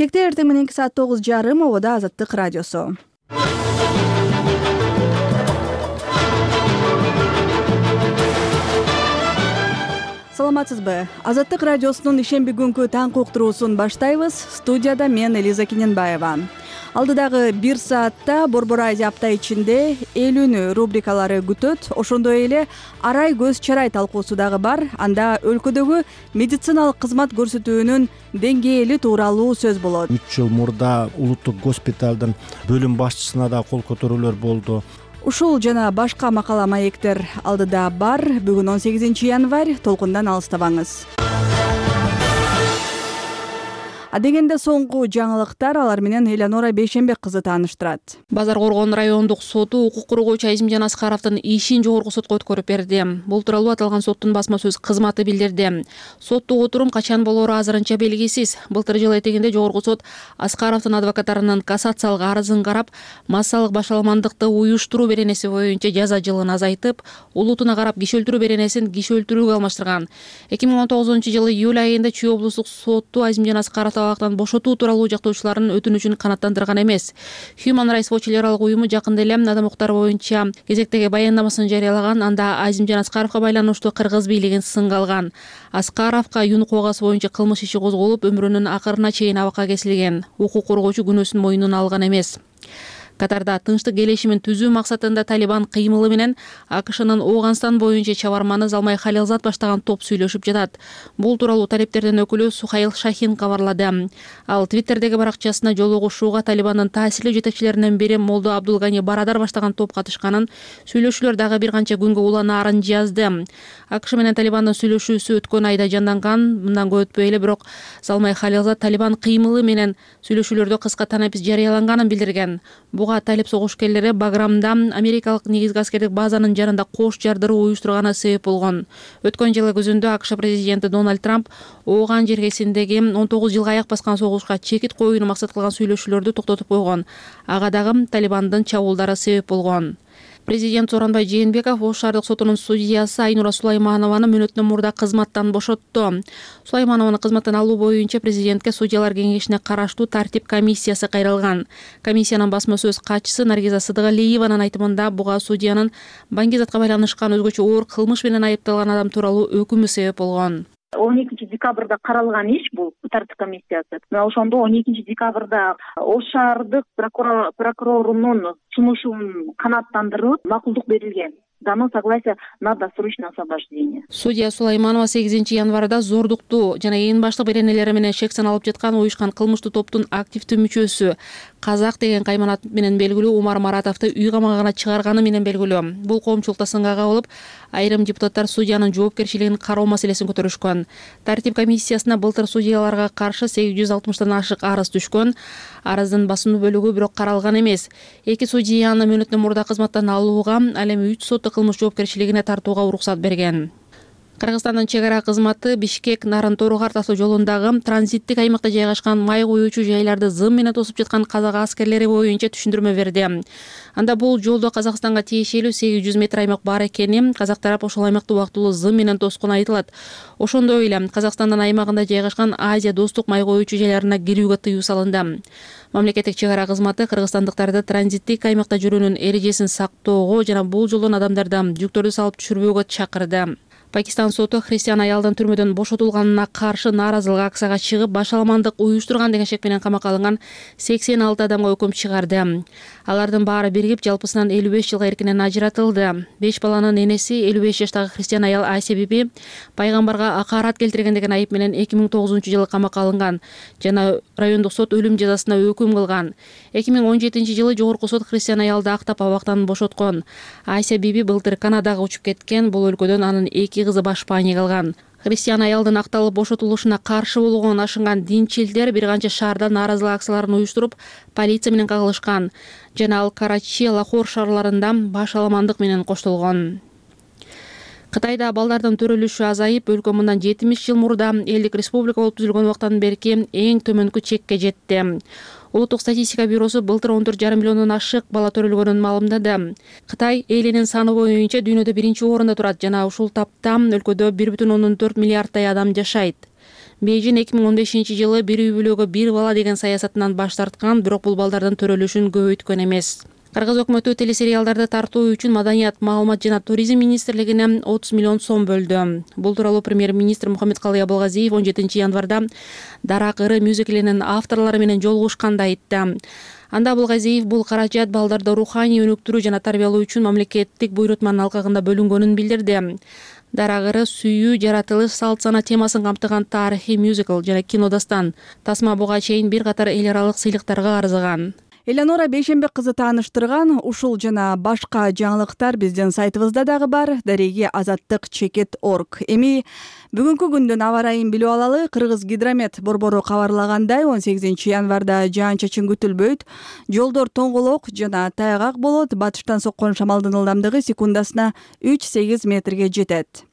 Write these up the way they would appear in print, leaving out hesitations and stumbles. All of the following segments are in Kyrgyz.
Бишкекте эртең мененки саат 9:30 обода Азаттык радиосу. Саламатсызбы? Азаттык радиосунун ишемби күнкү таң уктуруусун баштайбыз. Студияда мен Элиза Кененбаева. Алдыдагы 1 саатта Борбор Азия апта ичинде элүүнү рубрикалары күтөт. Ошондой эле арай көз чарай талкуусу дагы бар. Анда өлкөдөгү медициналык кызмат көрсөтүүнүн деңгээли тууралуу сөз болот. 3 жыл мурда улуттук госпиталдын бөлүм башчысына да кол көтөрүүлөр болду. Ушул жана башка макала маектер алдыда бар. Бүгүн 18 январь, толкундан алыстабаңыз. Адегенде соңку жаңылыктар, алар менен Элеонора Бейшенбек кызы тааныштырат. Базар Коргон райондук соту укук коргоочу Айзимжан Аскаровдун ишин жогорку сотко өткөрүп берди. Бул тууралуу аталган соттун басма сөз кызматы билдирди. Соттук отурум качан болоору азырынча белгисиз. Былтыр жыл этегинде жогорку сот Аскаровдун адвокаттарынын кассациялык арызын карап, массалык башаламандыкты уюштуруу беренеси боюнча жаза жылын азайтып, улутуна карап киши өлтүрүү беренесин киши өлтүрүүгө алмаштырган. 2019-жылы июль айында Чүй облустук сотту Айзимжан Аскаров абактан бошотуу тууралуу жактоочулардын өтүнүчүн канааттандырган эмес. Human Rights Watch эл аралык уюму жакында эле адам укуктары боюнча кезектеги баяндамасын жарыялаган. Анда Айзимжан Аскаровго байланыштуу кыргыз бийлигин сынга алган. Аскаровго юн кубагасы боюнча кылмыш иши козголуп, өмүрүнүн акырына чейин абакка кесилген. Укук коргоочу күнөөсүн мойнуна алган эмес. Катарда тынчтык келишимин түзүү максатында Талибан кыймылы менен АКШнын Ооганстан боюнча чабарманы Залмай Халилзат баштаган топ сүйлөшүп жатат. Бул тууралуу талептердин өкүлү Сухаил Шахин кабарлады. Ал Твиттердеги баракчасына жолугушууга Талибандын таасирлүү жетекчилеринен бири Молдо Абдулгани Барадар баштаган топ катышканын, сүйлөшүүлөр дагы бир канча күнгө уланаарын жазды. АКШ менен Талибандын сүйлөшүүсү өткөн айда жанданган. Мындан көп өтпөй эле бирок Залмай Халилзат Талибан кыймылы менен сүйлөшүүлөрдө кыска танапис жарыяланганын билдирген. Талип согушкерлери Баграмда америкалык негизги аскердик базанын жанында кош жардыруу уюштурганы себеп болгон. Өткөн жылы күзүндө АКШ президенти Дональд Трамп Ооган жергесиндеги 19 жылга аяк баскан согушка чекит коюуну максат кылган сүйлөшүүлөрдү токтотуп койгон. Ага дагы Талибандын чабуулдары себеп болгон. Президент Сооронбай Жээнбеков Ош шаардык сотунун судьясы Айнура Сулайманованы мөөнөттөн мурда кызматтан бошотту. Сулайманованы кызматтан алуу боюнча президентке судьялар кеңешине караштуу тартип комиссиясы кайрылган. Комиссиянын басма сөз катчысы Наргиза Сыдыгалиеванын айтымында буга судьянын баңгизатка байланышкан өзгөчө оор кылмыш менен айыпталган адам тууралуу өкүмү себеп болгон. 12 декабрда каралган иш бул тартип комиссиясы. Мына ошондо 12 декабрда Ош шаардык прокурорунун сунушун канааттандырып макулдук берилген. Дано согласия на досрочное освобождение. Судья Сулайманова 8 январда зордукту жана эң баштык беренелери менен шек саналып жаткан уюшкан кылмыштуу топтун активдүү мүчөсү Казак деген кайманат менен белгилүү Умар Маратовду үй камагына чыгарганы менен белгилүү. Бул коомчулукта сынга кабылып, айрым депутаттар судьянын жоопкерчилигин кароо маселесин көтөрүшкөн. Тартип комиссиясына былтыр судьяларга каршы 860 ашык арыз түшкөн. Арыздын басымдуу бөлүгү бирок каралган эмес. Эки судьяны мөөнөттөн мурда кызматтан алууга, ал эми 3 сот кылмыш жоопкерчилигине тартууга уруксат берген. Кыргызстандын чек ара кызматы Бишкек Нарын-Торухарт автоо жолундагы транзиттик аймакта жайгашкан май куюучу жайларды зым менен тосуп жаткан казак аскерлери боюнча түшүндүрмө берди. Анда бул жолдо Казакстанга тиешелүү 800 метр аймак бар экени, казак тарап ошол аймакты убактылуу зым менен тоскону айтылат. Ошондой эле Казакстандын аймагында жайгашкан Азия достук май куюучу жайларына кирүүгө тыюу салынды. Мамлекеттик чек ара кызматы кыргызстандыктарды транзиттик аймакта жүрүүнүн эрежесин сактоого жана бул жолдон адамдарды жүктөрдү салып түшүрбөөгө чакырды. Пакистан соту христиан аялдын түрмөдөн бошотулганына каршы нааразылык акцияга чыгып, башаламандык уюштурган деген шек менен камакка алынган 86 адамга өкүм чыгарды. Алардын баары биригип жалпысынан 55 жылга эркинен ажыратылды. 5 баланын энеси 55 жаштагы христиан аял Айся биби пайгамбарга акарат келтирген деген айып менен 2009-жылы камакка алынган жана райондук сот өлүм жазасына өкүм кылган. 2017-жылы жогорку сот христиан аялды актап абактан бошоткон. Айся биби былтыр Канадага учуп кеткен. Бул өлкөдөн анын 2 кызы башпаанияга алган. Христиан аялдын акталып бошотулушуна каршы болгон ашынган динчилдер бир канча шаарда нааразылык акцияларын уюштуруп, полиция менен кагылышкан жана ал Карачи, Лахор шаарларында башаламандык менен коштолгон. Кытайда балдардын төрөлүшү азайып, өлкө мындан 70 жыл мурда элдик республика болуп түзүлгөн убактан берки эң төмөнкү чекке жетти. Улуттук статистика бюросу былтыр 14,5 миллиондон ашык бала төрөлгөнүн маалымдады. Кытай элинин саны боюнча дүйнөдө биринчи орунда турат жана ушул тапта өлкөдө 1,4 миллиарддай адам жашайт. Бейжин 2015-жылы бир үй бүлөгө бир бала деген саясатынан баш тарткан, бирок бул балдардын төрөлүшүн көбөйткөн эмес. Кыргыз өкмөтү телесериалдарды тартуу үчүн Маданият, маалымат жана туризм министрлигине 30 миллион сом бөлдү. Бул тууралуу премьер-министр Мухаммедкалый Абылгазиев 17 январда Дарак ыры мюзиклинин авторлору менен жолугушканда айтты. Анда Абылгазиев бул каражат балдарды руханий өнүктүрүү жана тарбиялоо үчүн мамлекеттик буйрутманын алкагында бөлүнгөнүн билдирди. Дарак ыры сүйүү, жаратылыш, салт сана темасын камтыган тарыхый мюзикл жана кинодастан. Тасма буга чейин бир катар эл аралык сыйлыктарга арзыган. Элеонора Бейшембек кызы тааныштырган ушул жана башка жаңылыктар биздин сайтыбызда дагы бар. Дареги azattik.org. Эми бүгүнкү күндүн аба ырайын билип алалы. Кыргыз гидромет борбору кабарлагандай 18 январда жаан-чачын күтүлбөйт. Жолдор тоңголок жана тайгак болот. Батыштан соккон шамалдын ылдамдыгы секундасына 3-8 метрге жетет.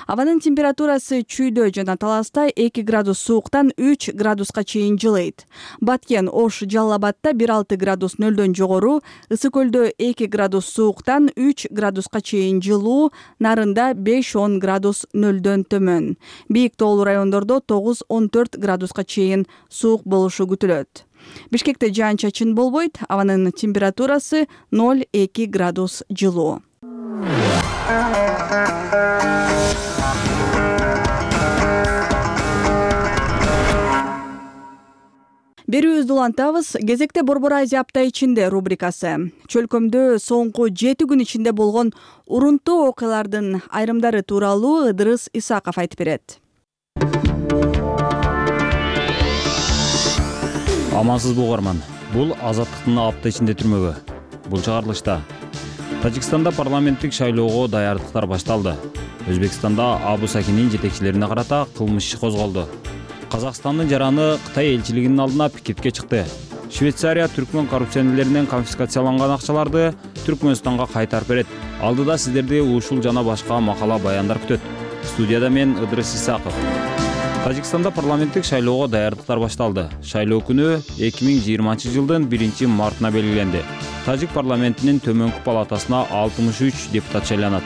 Абанын температурасы Чүйдө жана Таласта 2 градус сууктан 3 градуска чейин жылыйт. Баткен, Ош, Жалал Абадта 1-6 градус нөлдөн жогору, Ысык көлдө 2 градус сууктан 3 градуска чейин жылуу, Нарында 5-10 градус нөлдөн төмөн. Бийик тоолуу райондордо 9-14 градуска чейин суук болушу күтүлөт. Бишкекте жаан-чачын болбойт, абанын температурасы 0-2 градус жылуу. Берүүбүздү улантабыз. Кезекте Борбор Азия апта ичинде рубрикасы. Чөлкөмдө соңку 7 күн ичинде болгон урунтуу окуялардын айрымдары тууралуу Ыдырыс Исаков айтып берет. Амансызбы угарман. Бул Азаттыктын апта ичинде түрмөгү. Бул чыгарылышта Тажикстанда парламенттик шайлоого даярдыктар башталды. Өзбекстанда Абу Сакинин жетекчилерине карата кылмыш иши козголду. Казакстандын жараны Кытай элчилигинин алдына пикетке чыкты. Швейцария түркмөн коррупционерлеринен конфискацияланган акчаларды Түркмөнстанга кайтарып берет. Алдыда сиздерди ушул жана башка макала баяндар күтөт. Студияда мен Ыдырыс Исаков. Тажикстанда парламенттик шайлоого даярдыктар башталды. Шайлоо күнү 2020-жылдын 1-мартына белгиленди. Тажик парламентинин төмөнкү палатасына 63 депутат шайланат.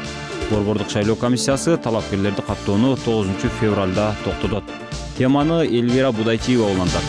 Борбордук шайлоо комиссиясы талапкерлерди каттоону 9 февралда токтотот. Теманы Элвира Будайчиева улантат.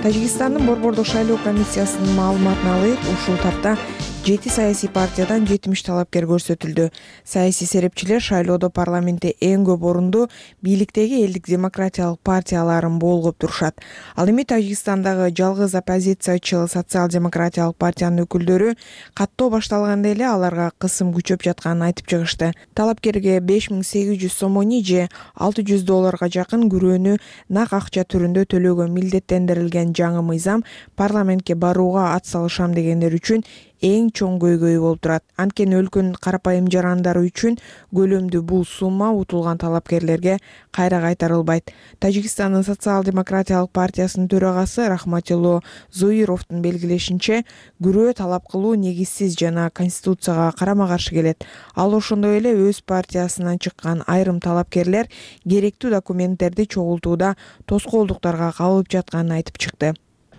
Тажикстандын борбордук шайлоо комиссиясынын маалыматына ылайык, ушул тапта 7 саясий партиядан 70 талапкер көрсөтүлдү. Саясий серепчилер шайлоодо парламентте эң көп орунду бийликтеги элдик демократиялык партияларын болгоп турушат. Ал эми Тажикстандагы жалгыз оппозициячы социал-демократиялык партиянын өкүлдөрү каттоо башталганда эле аларга кысым күчөп жатканын айтып чыгышты. Талапкерге 5800 сомони же $600 жакын күрөөнү нак акча түрүндө төлөөгө милдеттендирилген жаңы мыйзам парламентке барууга ат салышам дегендер үчүн эң чоң көйгөй болуп турат. Анткени өлкөнүн карапайым жарандары үчүн көлөмдүү бул сумма утулган талапкерлерге кайра кайтарылбайт. Тажикстандын социал-демократиялык партиясынын төрагасы Рахматилло Зоировдун белгилешинче, күрөө талап кылуу негизсиз жана конституцияга карама-каршы келет. Ал ошондой эле өз партиясынан чыккан айрым талапкерлер керектүү документтерди чогултууда тоскоолдуктарга кабылып жатканын айтып чыкты.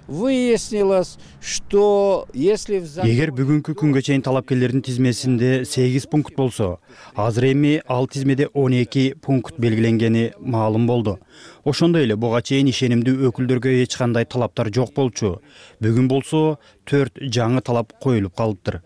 Выяснилось, что если Эгер бүгүнкү күнгө чейин талапкерлердин тизмесинде 8 пункт болсо, азыр эми ал тизмеде 12 пункт белгиленгени маалым болду. Ошондой эле буга чейин ишенимдүү өкүлдөргө эч кандай талаптар жок болчу. Бүгүн болсо 4 жаңы талап коюлуп калыптыр.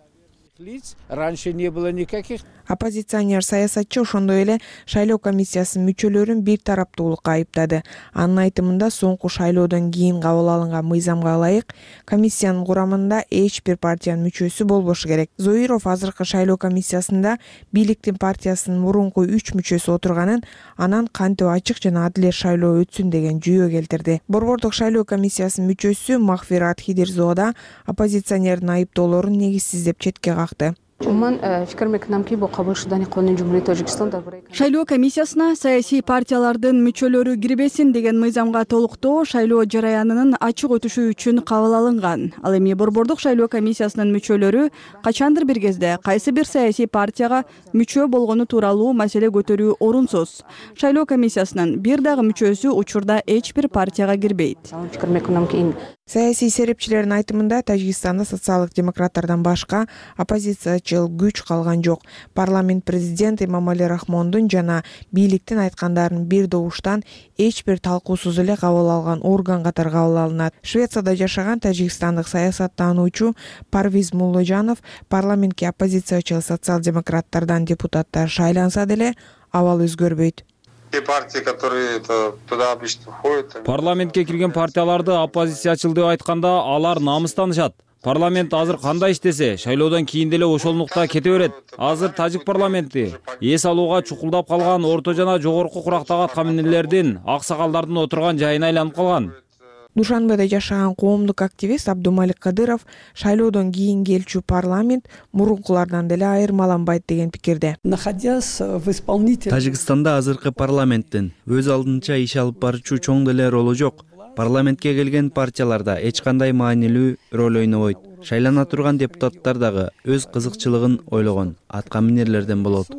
Раньше не было никаких. Оппозиционер саясатчы ошондой эле шайлоо комиссиясынын мүчөлөрүн бир тараптуулукка айыптады. Анын айтымында соңку шайлоодон кийин кабыл алынган мыйзамга ылайык комиссиянын курамында эч бир партиянын мүчөсү болбошу керек. Зоиров азыркы шайлоо комиссиясында бийликтин партиясынын мурунку 3 мүчөсү отурганын, анан кантип ачык жана адилет шайлоо өтсүн деген жүйө келтирди. Борбордук шайлоо комиссиясынын мүчөсү Махфират Хидирзоо да оппозиционердин айыптоолорун негизсиз деп четке какты. Шайлоо комиссиясына саясий партиялардын мүчөлөрү кирбесин деген мыйзамга толуктоо шайлоо жараянынын ачык өтүшү үчүн кабыл алынган. Ал эми борбордук шайлоо комиссиясынын мүчөлөрү качандыр бир кезде кайсы бир саясий партияга мүчө болгону тууралуу маселе көтөрүү орунсуз. Шайлоо комиссиясынын бир дагы мүчөсү учурда эч бир партияга кирбейт. Саясий серепчилердин айтымында Тажикстанда социалдык демократтардан башка оппозициячыл күч калган жок. Парламент президент Эмомали Рахмондун жана бийликтин айткандарын бир добуштан эч бир талкуусуз эле кабыл алган орган катары кабыл алынат. Швецияда жашаган тажикстандык саясаттануучу Парвиз Мулложанов парламентке оппозициячыл социал-демократтардан депутаттар шайланса деле абал өзгөрбөйт. Партии, которые туда обычно входят. Парламентке кирген партияларды оппозициячыл деп айтканда алар намыстанышат. Парламент азыр кандай иштесе, шайлоодон кийин деле ошолнукта кете берет. Азыр тажик парламенти эс алууга чукулдап калган орто жана жогорку курактагы аткаминерлердин, аксакалдардын отурган жайына айланып калган. Душанбеде жашаган коомдук активист Абдумалик Кадыров шайлоодон кийин келчү парламент мурункулардан деле айырмаланбайт деген пикирде. Тажикстанда азыркы парламенттин өз алдынча иш алып баруучу чоң деле ролу жок. Парламентке келген партияларда эч кандай маанилүү роль ойнобойт. Шайлана турган депутаттар дагы өз кызыкчылыгын ойлогон аткаминерлерден болот.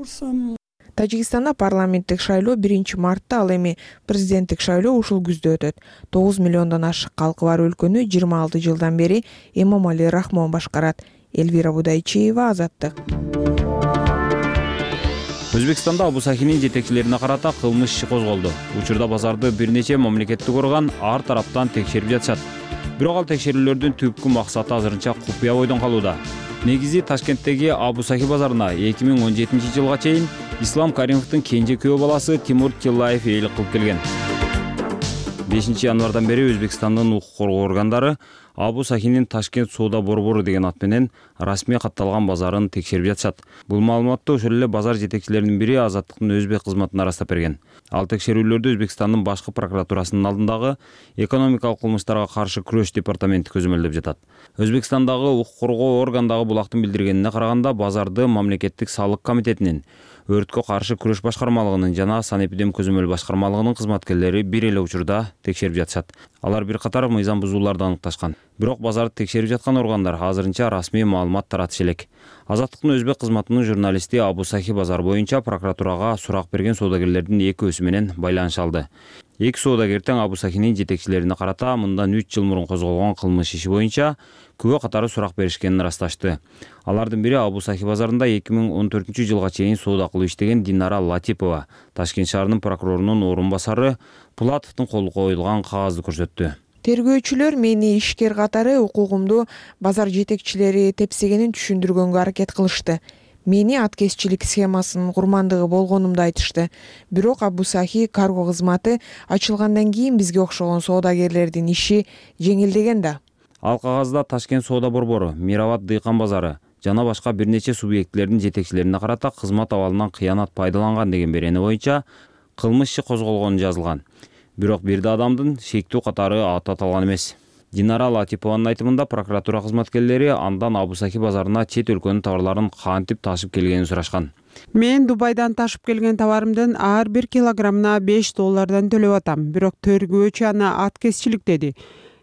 Тажикстанда парламенттик шайлоо 1-мартта, ал эми президенттик шайлоо ушул күздө өтөт. 9 миллиондон ашык калкы бар өлкөнү 26 жылдан бери Эмомали Рахмон башкарат. Элвира Будайчиева, Азаттык. Өзбекстанда Абусахинин жетекчилерине карата кылмыш иши козголду. Учурда базарды бир нече мамлекеттик орган ар тараптан текшерип жатышат. Бирок ал текшерүүлөрдүн түпкү максаты азырынча купуя бойдон калууда. Негизи Ташкенттеги Абусахи базарына 2017 жылга чейин Ислам Каримовдун кенже күйөө баласы Тимур Тиллаев ээлик кылып келген. 5 январдан бери Өзбекстандын укук коргоо органдары Абусахинин Ташкент соода борбору деген ат менен расмий катталган базарын текшерип жатышат. Бул маалыматты ошол эле базар жетекчилеринин бири Азаттыктын өзбек кызматына ырастап берген. Ал текшерүүлөрдү Өзбекстандын башкы прокуратурасынын алдындагы экономикалык кылмыштарга каршы күрөш департаменти көзөмөлдөп жатат. Өзбекстандагы укук коргоо органдагы булактын билдиргенине караганда базарды мамлекеттик салык комитетинин, өрткө каршы күрөш башкармалыгынын жана санэпидем көзөмөл башкармалыгынын кызматкерлери бир эле учурда текшерип жатышат. Алар бир катар мыйзам бузууларды аныкташкан. Бирок базарды текшерип жаткан органдар азырынча расмий маалымат таратышы элек. Азаттыктын өзбек кызматынын журналисти Абусахи базар боюнча прокуратурага сурак берген соодагерлердин экөөсү менен байланыша алды. Эки соодагер тең Абусахинин жетекчилерине карата мындан 3 жыл мурун козголгон кылмыш иши боюнча күбө катары сурак беришкенин ырасташты. Алардын бири Абусахи базарында 2014 жылга чейин соода кылып иштеген Динара Латипова, Ташкент шаарынын прокурорунун орун басары Пулатовдун колу коюлган кагазды көрсөттү. Тергөөчүлөр мени ишкер катары укугумду базар жетекчилери тепсегенин түшүндүргөнгө аракет кылышты. Мени аткезчилик схемасынын курмандыгы болгонумду айтышты. Бирок Абусахи карго кызматы ачылгандан кийин бизге окшогон соодагерлердин иши жеңилдеген да. Ал кагазда Ташкент соода борбору, Мирабад дыйкан базары жана башка бир нече субъектилердин жетекчилерине карата кызмат абалынан кыянат пайдаланган деген берени боюнча кылмыш иши козголгону жазылган. Бирок бир да адамдын шектүү катары аты аталган эмес. Динара Латипованын айтымында прокуратура кызматкерлери андан Абусахи базарына чет өлкөнүн товарларын кантип ташып келгенин сурашкан. Мен Дубайдан ташып келген товарымдын ар бир килограммына $5 төлөп атам, бирок тергөөчү аны аткезчилик деди.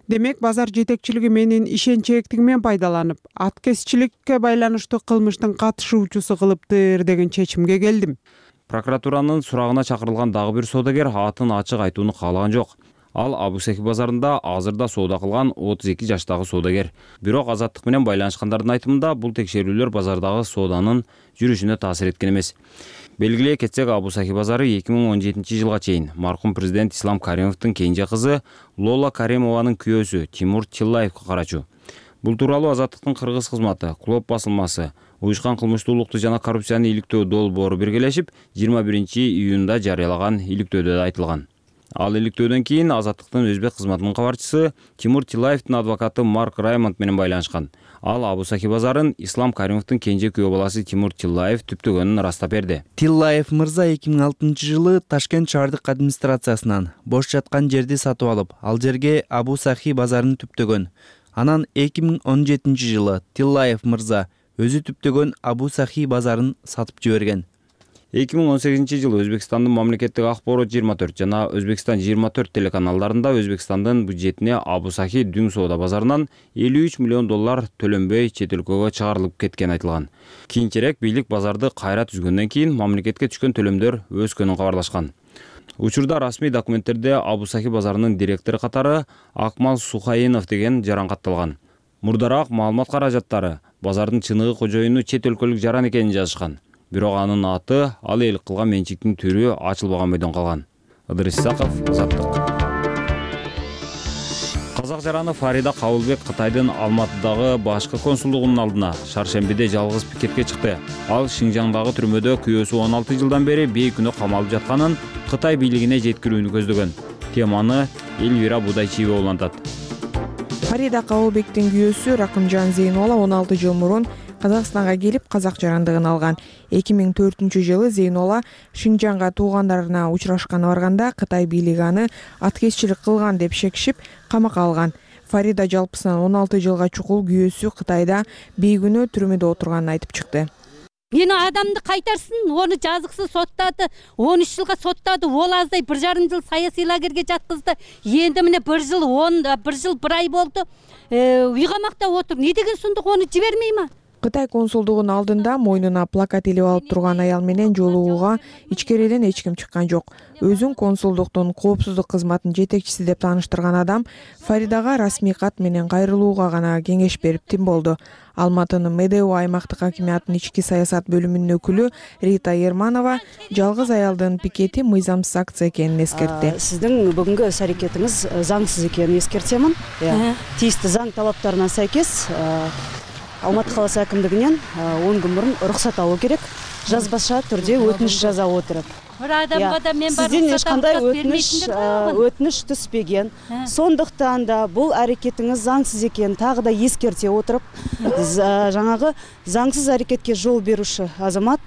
Демек базар жетекчилиги менин ишенчээктигимен пайдаланып, аткезчиликке байланыштуу кылмыштын катышуучусу кылыптыр деген чечимге келдим. Прокуратуранын сурагына чакырылган дагы бир соодагер атын ачык айтууну каалаган жок. Ал Абусахи базарында азырда соода кылган 32 жаштагы соодагер. Бирок Азаттык менен байланышкандардын айтымында бул текшерүүлөр базардагы сооданын жүрүшүнө таасир эткен эмес. Белгилей кетсек, Абусахи базары 2017 жылга чейин маркум президент Ислам Каримовдун кенже кызы Лола Каримованын күйөөсү Тимур Тиллаевге карачу. Бул тууралуу Азаттыктын кыргыз кызматы, Клоп басылмасы, уюшкан кылмыштуулукту жана коррупцияны иликтөө долбоору биргелешип 21 июнда жарыялаган иликтөөдө айтылган. Ал иликтөөдөн кийин Азаттыктын өзбек кызматынын кабарчысы Тимур Тиллаевдин адвокаты Марк Раймонд менен байланышкан. Ал Абусахи базарын Ислам Каримовдун кенже күйөө баласы Тимур Тиллаев түптөгөнүн ырастап берди. Тиллаев мырза 2006 жылы Ташкент шаардык администрациясынан бош жаткан жерди сатып алып, ал жерге Абусахи базарын түптөгөн. Анан 2017 жылы Тиллаев мырза өзү түптөгөн Абусахи базарын сатып жиберген. 2018 жылы Өзбекстандын мамлекеттик акпарат 24 жана Өзбекстан 24 телеканалдарында Өзбекстандын бюджетине Абусахи дүң соода базарынан $53 миллион төлөнбөй чет өлкөгө чыгарылып кеткени айтылган. Кийинчерээк бийлик базарды кайра түзгөндөн кийин мамлекетке түшкөн төлөмдөр өскөнүн кабарлашкан. Учурда расмий документтерде Абу-Сахи базарынын директору катары Акмал Сухаинов деген жарангатталган. Мурдараак маалымат каражаттары базардын чыныгы кожоюну чет өлкөлүк жаран экенин жазышкан. Бирок анын аты, ал эл кылган менчиктин түрү ачылбаган бойдон калган. Ыдырыс Исаков, Азаттык. Казак жараны Фарида Кабылбек Кытайдын Алматыдагы башкы консулдугунун алдына шаршембиде жалгыз пикетке чыкты. Ал Шинжаңдагы түрмөдө күйөөсү 16 жылдан бери бейкүнөө камалып жатканын Кытай бийлигине жеткирүүнү көздөгөн. Теманы Элвира Будайчиева улантат. Фарида Кабылбектин күйөөсү Ракымжан Зейнола 16 жыл мурун Казакстанга келип казак жарандыгын алган. 2004-жылы Зейнола Шинжаңга туугандарына учурашканы барганда Кытай бийлиги аны аткезчилик кылган деп шекишип камакка алган. Фарида жалпысынан 16 жылга чукул күйөөсү Кытайда бейкүнөө түрмөдө отурганын айтып чыкты. Мени адамды кайтарсын, оны жазыксыз соттады, 13 жылга соттады, ол аздай 1,5 жыл саясий лагерге жаткызды. Енді міне 1 жыл 1 ай болду. Үй камакта отур. Не деген сундук, оны жибермей ма? Кытай консулдугунун алдында мойнуна плакат илип алып турган аял менен жолугууга ичкериден эч ким чыккан жок. Өзүн консулдуктун коопсуздук кызматынын жетекчиси деп тааныштырган адам Фаридага расмий кат менен кайрылууга гана кеңеш берип тим болду. Алматынын МДУ аймактык хакимиятынын ички саясат бөлүмүнүн өкүлү Рита Ерманова жалгыз аялдын пикети мыйзамсыз акция экенин эскертти. Сиздин бүгүнкү іс аракетиңиз заңсыз экенин эскертемин. Тийиштүү заң талаптарына сайкес Алматы каласы әкімдігінен 10 күн мурун уруксат алуу керек. Жазбаша түрдө өтүнүш жаза отуруп. Сизден ешкандай өтүнүш түспеген. Сондуктан да бул аракетиңиз заңсыз экенин тагы да эскерте отуруп, жаңагы заңсыз аракетке жол беруші азамат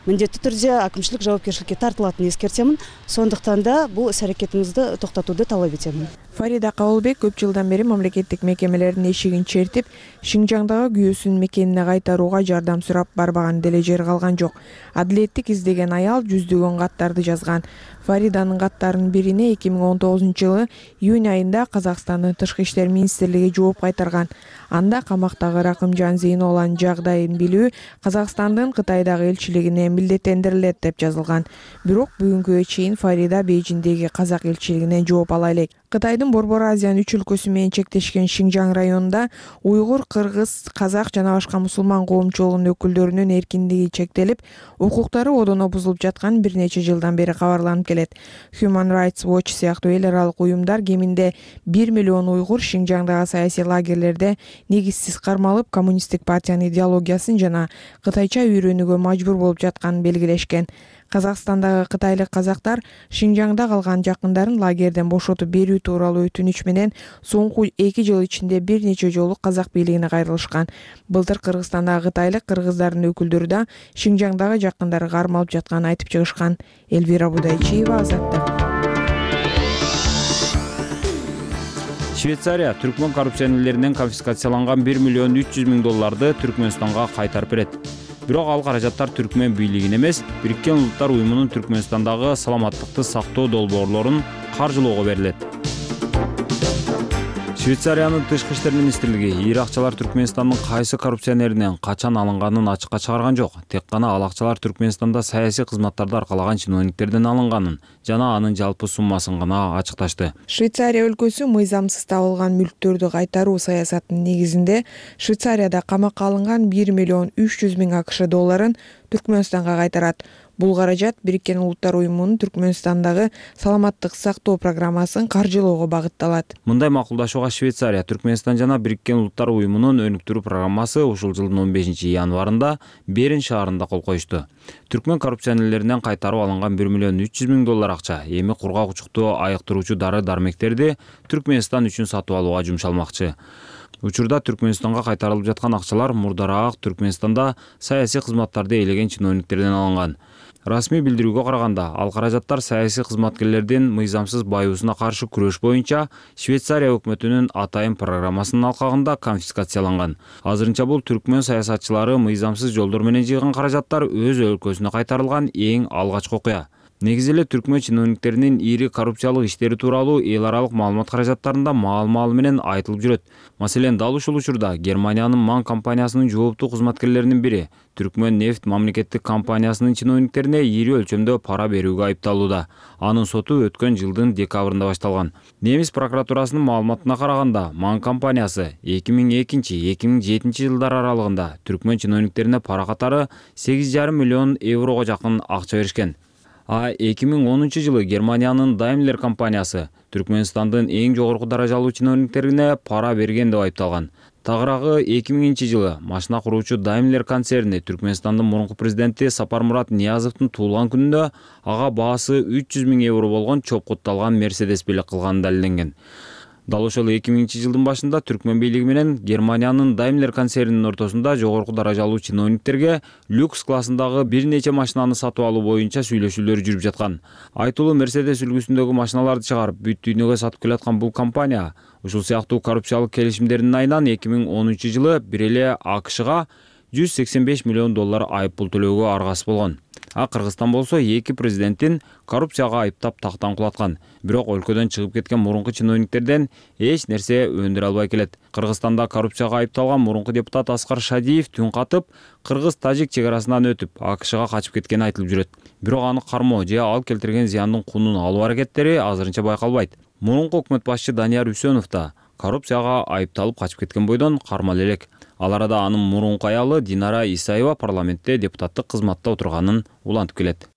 міндетті түрде әкімшілік жауапкершілікке тартылатынын ескертемін. Сондықтан да бұл іс әрекетіңізді тоқтатуды талап етемін. Фарида Кабылбек көп жылдан бери мамлекеттик мекемелердин эшигин чертип, Шинжаңдагы күйөөсүн мекенине кайтарууга жардам сурап барбаган деле жер калган жок. Адилеттик издеген аял жүздөгөн каттарды жазган. Фариданын каттарынын бирине 2019-жылы июнь айында Казакстандын Тышкы иштер министрлиги жооп кайтарган. Анда камактагы Ракымжан Зейноланын жагдайын билүү Казакстандын Кытайдагы элчилигине милдеттендирилет деп жазылган. Бирок бүгүнкүгө чейин Фарида Бейжиңдеги казак элчилигинен жооп ала элек. Кытайдын Борбор Азиянын 3 өлкөсү менен чектешкен Шинжаң районунда уйгур, кыргыз, казак жана башка мусулман коомчулугунун өкүлдөрүнүн эркиндиги чектелип, укуктары одоно бузулуп жаткан бир нече жылдан бери кабарланып келет. Human Rights Watch сыяктуу эл аралык уюмдар кеминде 1 миллион уйгур Шинжаңдагы саясий лагерлерде негизсиз кармалып, коммунисттик партиянын идеологиясын жана кытайча үйрөнүүгө мажбур болуп жатканын белгилешкен. Казакстандагы кытайлык казактар Шинжаңда калган жакындарын лагерден бошотуп берүү тууралуу өтүнүч менен соңку 2 жыл ичинде бир нече жолу казак бийлигине кайрылышкан. Былтыр Кыргызстандагы кытайлык кыргыздардын өкүлдөрү да Шинжаңдагы жакындары кармалып жатканын айтып чыгышкан. Элвира Будайчиева, Азаттык. Швейцария түркмөн коррупционерлеринен конфискацияланган 1 миллион 300 миң долларды Түркмөнстанга кайтарып берет. Бирок ал каражаттар түркмөн бийлигине эмес, Бириккен Улуттар уюмунун Түркмөнстандагы саламаттыкты сактоо долбоорлорун каржылоого берилет. Швейцариянын Тышкы иштер министрлиги ийри акчалар Түркмөнстандын кайсы коррупционеринен качан алынганын ачыкка чыгарган жок. Тек гана ал акчалар Түркмөнстанда саясий кызматтарды аркалаган чиновниктерден алынганын жана анын жалпы суммасын гана ачыкташты. Швейцария өлкөсү мыйзамсыз табылган мүлктөрдү кайтаруу саясатынын негизинде Швейцарияда камакка алынган 1 миллион 300 миң АКШ долларын Түркмөнстанга кайтарат. Бул каражат Бириккен Улуттар уюмунун Түркмөнстандагы саламаттык сактоо программасын каржылоого багытталат. Мындай макулдашууга Швейцария, Түркмөнстан жана Бириккен Улуттар уюмунун өнүктүрүү программасы ушул жылдын 15 январында Берин шаарында кол коюшту. Түркмөн коррупционерлеринен кайтарып алынган 1 миллион 300 миң доллар акча эми кургак учукту айыктыруучу дары-дармектерди Түркмөнстан үчүн сатып алууга жумшалмакчы. Учурда Түркмөнстанга кайтарылып жаткан акчалар мурдараак Түркмөнстанда саясий кызматтарды ээлеген чиновниктерден алынган. Расмий билдирүүгө караганда, ал каражаттар саясий кызматкерлердин мыйзамсыз байуусуна каршы күрөш боюнча Швейцария өкмөтүнүн атайын программасынын алкагында конфискацияланган. Азырынча бул түркмөн саясатчылары мыйзамсыз жолдор менен жыйган каражаттар өз өлкөсүнө кайтарылган эң алгачкы окуя. Негизи эле түркмөн чиновниктеринин ири коррупциялык иштери тууралуу эл аралык маалымат каражаттарында маал-маалы менен айтылып жүрөт. Маселен, дал ушул учурда Германиянын МАН компаниясынын жооптуу кызматкерлеринин бири Түркмөн нефть мамлекеттик компаниясынын чиновниктерине ири өлчөмдө пара берүүгө айыпталууда. Анын соту өткөн жылдын декабрында башталган. Немис прокуратурасынын маалыматына караганда, МАН компаниясы 2002-2007 жылдар аралыгында түркмөн чиновниктерине пара катары 8,5 миллион еврого жакын акча беришкен. 2010 жылы Германиянын Daimler компаниясы Түркмөнстандын эң жогорку даражалуу чиновниктерине пара берген деп айыпталган. Тагыраагы 2000 жылы машина куруучу Daimler концерни Түркмөнстандын мурунку президенти Сапармурат Ниязовдун туулган күнүндө ага баасы 300 000 евро болгон чопкутталган Мерседес белек кылганы далилденген. Дал ошол 2000 жылдын башында түркмөн бийлиги менен Германиянын Daimler концернинин ортосунда жогорку даражалуу чиновниктерге люкс классындагы бир нече машинаны сатып алуу боюнча сүйлөшүүлөр жүрүп жаткан. Айтылуу Мерседес үлгүсүндөгү машиналарды чыгарып, бүт дүйнөгө сатып келаткан бул компания ушул сыяктуу коррупциялык келишимдердин айынан 2010 жылы бир эле АКШга $185 миллион айыппул төлөөгө аргасыз болгон. Кыргызстан болсо эки президенттин коррупцияга айыптап тактан кулаткан. Бирок өлкөдөн чыгып кеткен мурунку чиновниктерден эч нерсе өндүрө албай келет. Кыргызстанда коррупцияга айыпталган мурунку депутат Аскар Шадиев түн катып, кыргыз-тажик чек арасынан өтүп, АКШга качып кеткени айтылып жүрөт. Бирок аны кармоо же ал келтирген зыяндын кунун алуу аракеттери азырынча байкалбайт. Мурунку өкмөт башчы Данияр Үсөнов да коррупцияга айыпталып качып кеткен бойдон кармалып элек. Ал арада анын мурунку аялы Динара Исаева парламентте депутаттык кызматта отурганын улантып келет.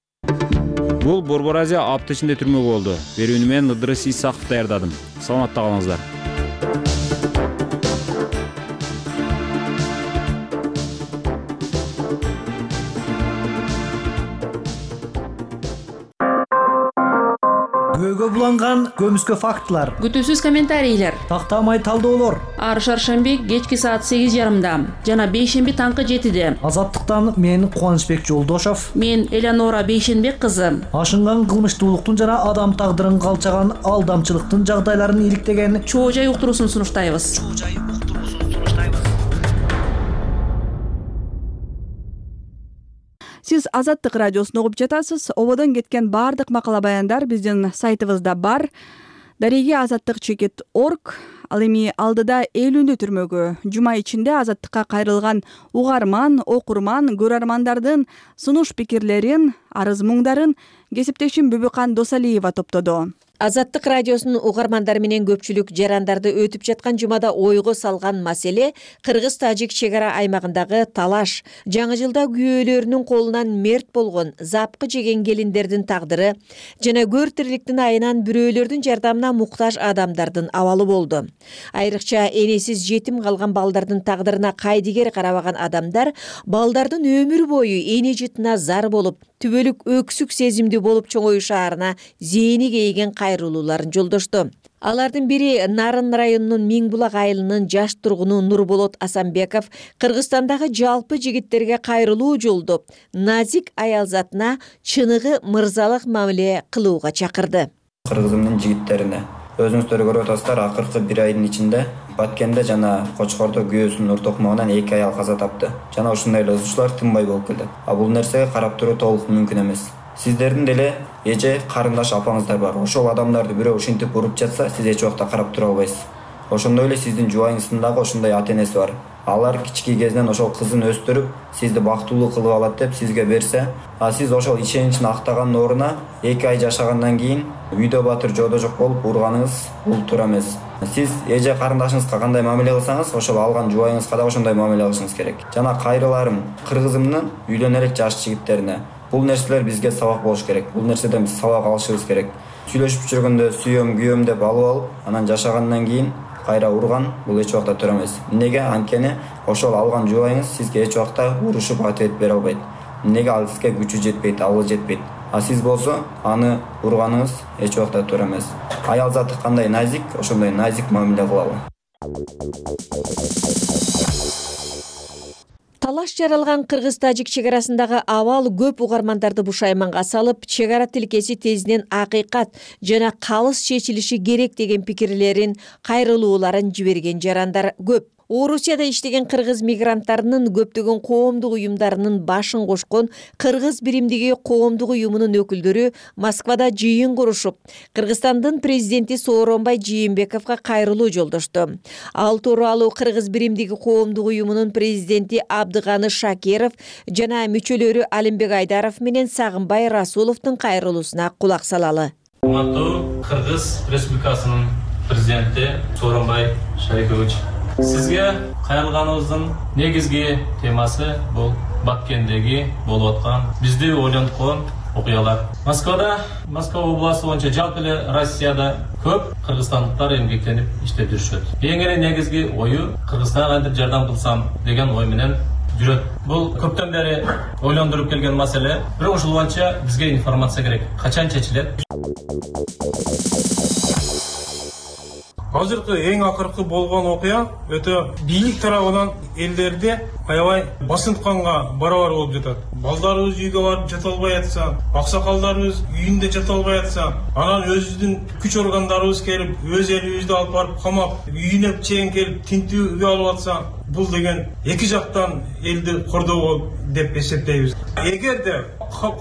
Бул Борбор Азия апта ичинде түрмөгө болду. Берүүнү мен Ыдырыс Исаков даярдадым. Саламатта калыңыздар. Көйгө буланган көмүскө фактылар, күтүүсүз комментарийлер, тактамай талдоолор. Ар шаршемби кечки саат 8:30 жана бейшемби таңкы 7-де. Азаттыктан мен Кубанычбек Жолдошов, мен Элеонора Бейшенбек кызы. Ашынган кылмыштуулуктун жана адам тагдырын калчаган алдамчылыктын жагдайларын иликтеген чоо жай уктуруусун сунуштайбыз. Сиз Азаттык радиосун угуп жатасыз. Ободон кеткен баардык макала баяндар биздин сайтыбызда бар. Дареги azattik.org. Ал эми алдыда Элүүнү түрмөгү жума ичинде Азаттыкка кайрылган угарман, окурман, көрөрмандардын сунуш пикирлерин, арыз муңдарын кесиптешим Бүбүкан Досалиева топтоду. Азаттык радиосунун угармандары менен көпчүлүк жарандарды өтүп жаткан жумада ойго салган маселе кыргыз-тажик чек ара аймагындагы талаш, жаңы жылда күйөөлөрүнүн колунан мерт болгон, запкы жеген келиндердин тагдыры жана көр тирликтин айынан бирөөлөрдүн жардамына муктаж адамдардын абалы болду. Айрыкча энесиз жетим калган балдардын тагдырына кайдыгер карабаган адамдар балдардын өмүр бою эне жытына зар болуп, түбөлүк өксүк сезимдүү болуп чоңоюшаарына зээни кейген кайрылууларын жолдошту. Алардын бири Нарын районунун Миңбулак айылынын жаш тургуну Нурболот Асанбеков Кыргызстандагы жалпы жигиттерге кайрылуу жолдоп, назик аялзатына чыныгы мырзалык мамиле кылууга чакырды. Кыргызымдын жигиттерине өзүңүздөр көрүп атасыздар, акыркы бир айдын ичинде Баткенде жана Кочкордо күйөөсүнүн ур токмогунан 2 аял каза тапты. Жана ушундай эле узуучулар тынбай болуп келет. Бул нерсеге карап туруу толук мүмкүн эмес. Сиздердин деле эже, карындаш апаңыздар бар. Ошол адамдарды бирөө ушинтип уруп жатса, сиз эч убакта карап тура албайсыз. Ошондой эле сиздин жубайыңыздын дагы ошондой ата-энеси бар. Алар кички кезинен ошол кызын өстүрүп, сизди бактылуу кылып алат деп сизге берсе, сиз ошол ишеничин актагандын ордуна 2 ай жашагандан кийин үйдө батыр жоодо жок болуп урганыңыз бул туура эмес. Сиз эже карындашыңызга кандай мамиле кылсаңыз, ошол алган жубайыңызга да ошондой мамиле кылышыңыз керек. Жана кайрыларым кыргызымдын үйлөнө элек жаш жигиттерине. Бул нерселер бизге сабак болуш керек. Бул нерседен биз сабак алышыбыз керек. Сүйлөшүп жүргөндө сүйөм, күйөм деп алып, анан жашагандан кийин кайра урган бул эч убакта туура эмес. Эмнеге? Анткени ошол алган жубайыңыз сизге эч убакта урушуп ответ бере албайт. Эмнеге? Ал сизге күчү жетпейт, абалы жетпейт. Сиз болсо аны урганыңыз эч убакта туура эмес. Аял заты кандай назик, ошондой назик мамиле кылалы. Талаш жаралган кыргыз-тажик чек арасындагы абал көп угармандарды бушайманга салып, чек ара тилкеси тезинен акыйкат жана калыс чечилиши керек деген пикирлерин, кайрылууларын жиберген жарандар көп. Орусияда иштеген кыргыз мигранттарынын көптөгөн коомдук уюмдарынын башын кошкон Кыргыз биримдиги коомдук уюмунун өкүлдөрү Москвада жыйын курушуп, Кыргызстандын президенти Сооронбай Жээнбековго кайрылуу жолдошту. Ал тууралуу Кыргыз биримдиги коомдук уюмунун президенти Абдыганы Шакиров жана мүчөлөрү Алимбек Айдаров менен Сагынбай Расуловдун кайрылуусуна кулак салалы. Урматтуу Кыргыз Республикасынын президенти Сооронбай Шарипович, сизге кайрылганыбыздын негизги темасы бул Баткендеги болуп аткан бизди ойлонткон окуялар. Москва областы боюнча жалпы эле Россияда көп кыргызстандыктар эмгектенип иштеп жүрүшөт. Эң эле негизги ою Кыргызстанга кантип жардам кылсам деген ой менен жүрөт. Бул көптөн бери ойлондуруп келген маселе. Бирок ушул боюнча бизге информация керек. Качан чечилет? Азыркы эң акыркы болгон окуя өтө бийлик тарабынан элдерде аябай басынтканга барабар болуп жатат. Балдарыбыз үйгө барып жата албай атса, аксакалдарыбыз үйүндө жата албай атса, анан өзүбүздүн күч органдарыбыз келип, өз элибизди алып барып камап, үйүнө чейин келип тинтүү алып атса, бул деген эки жактан элди кордоо деп эсептейбиз. Эгерде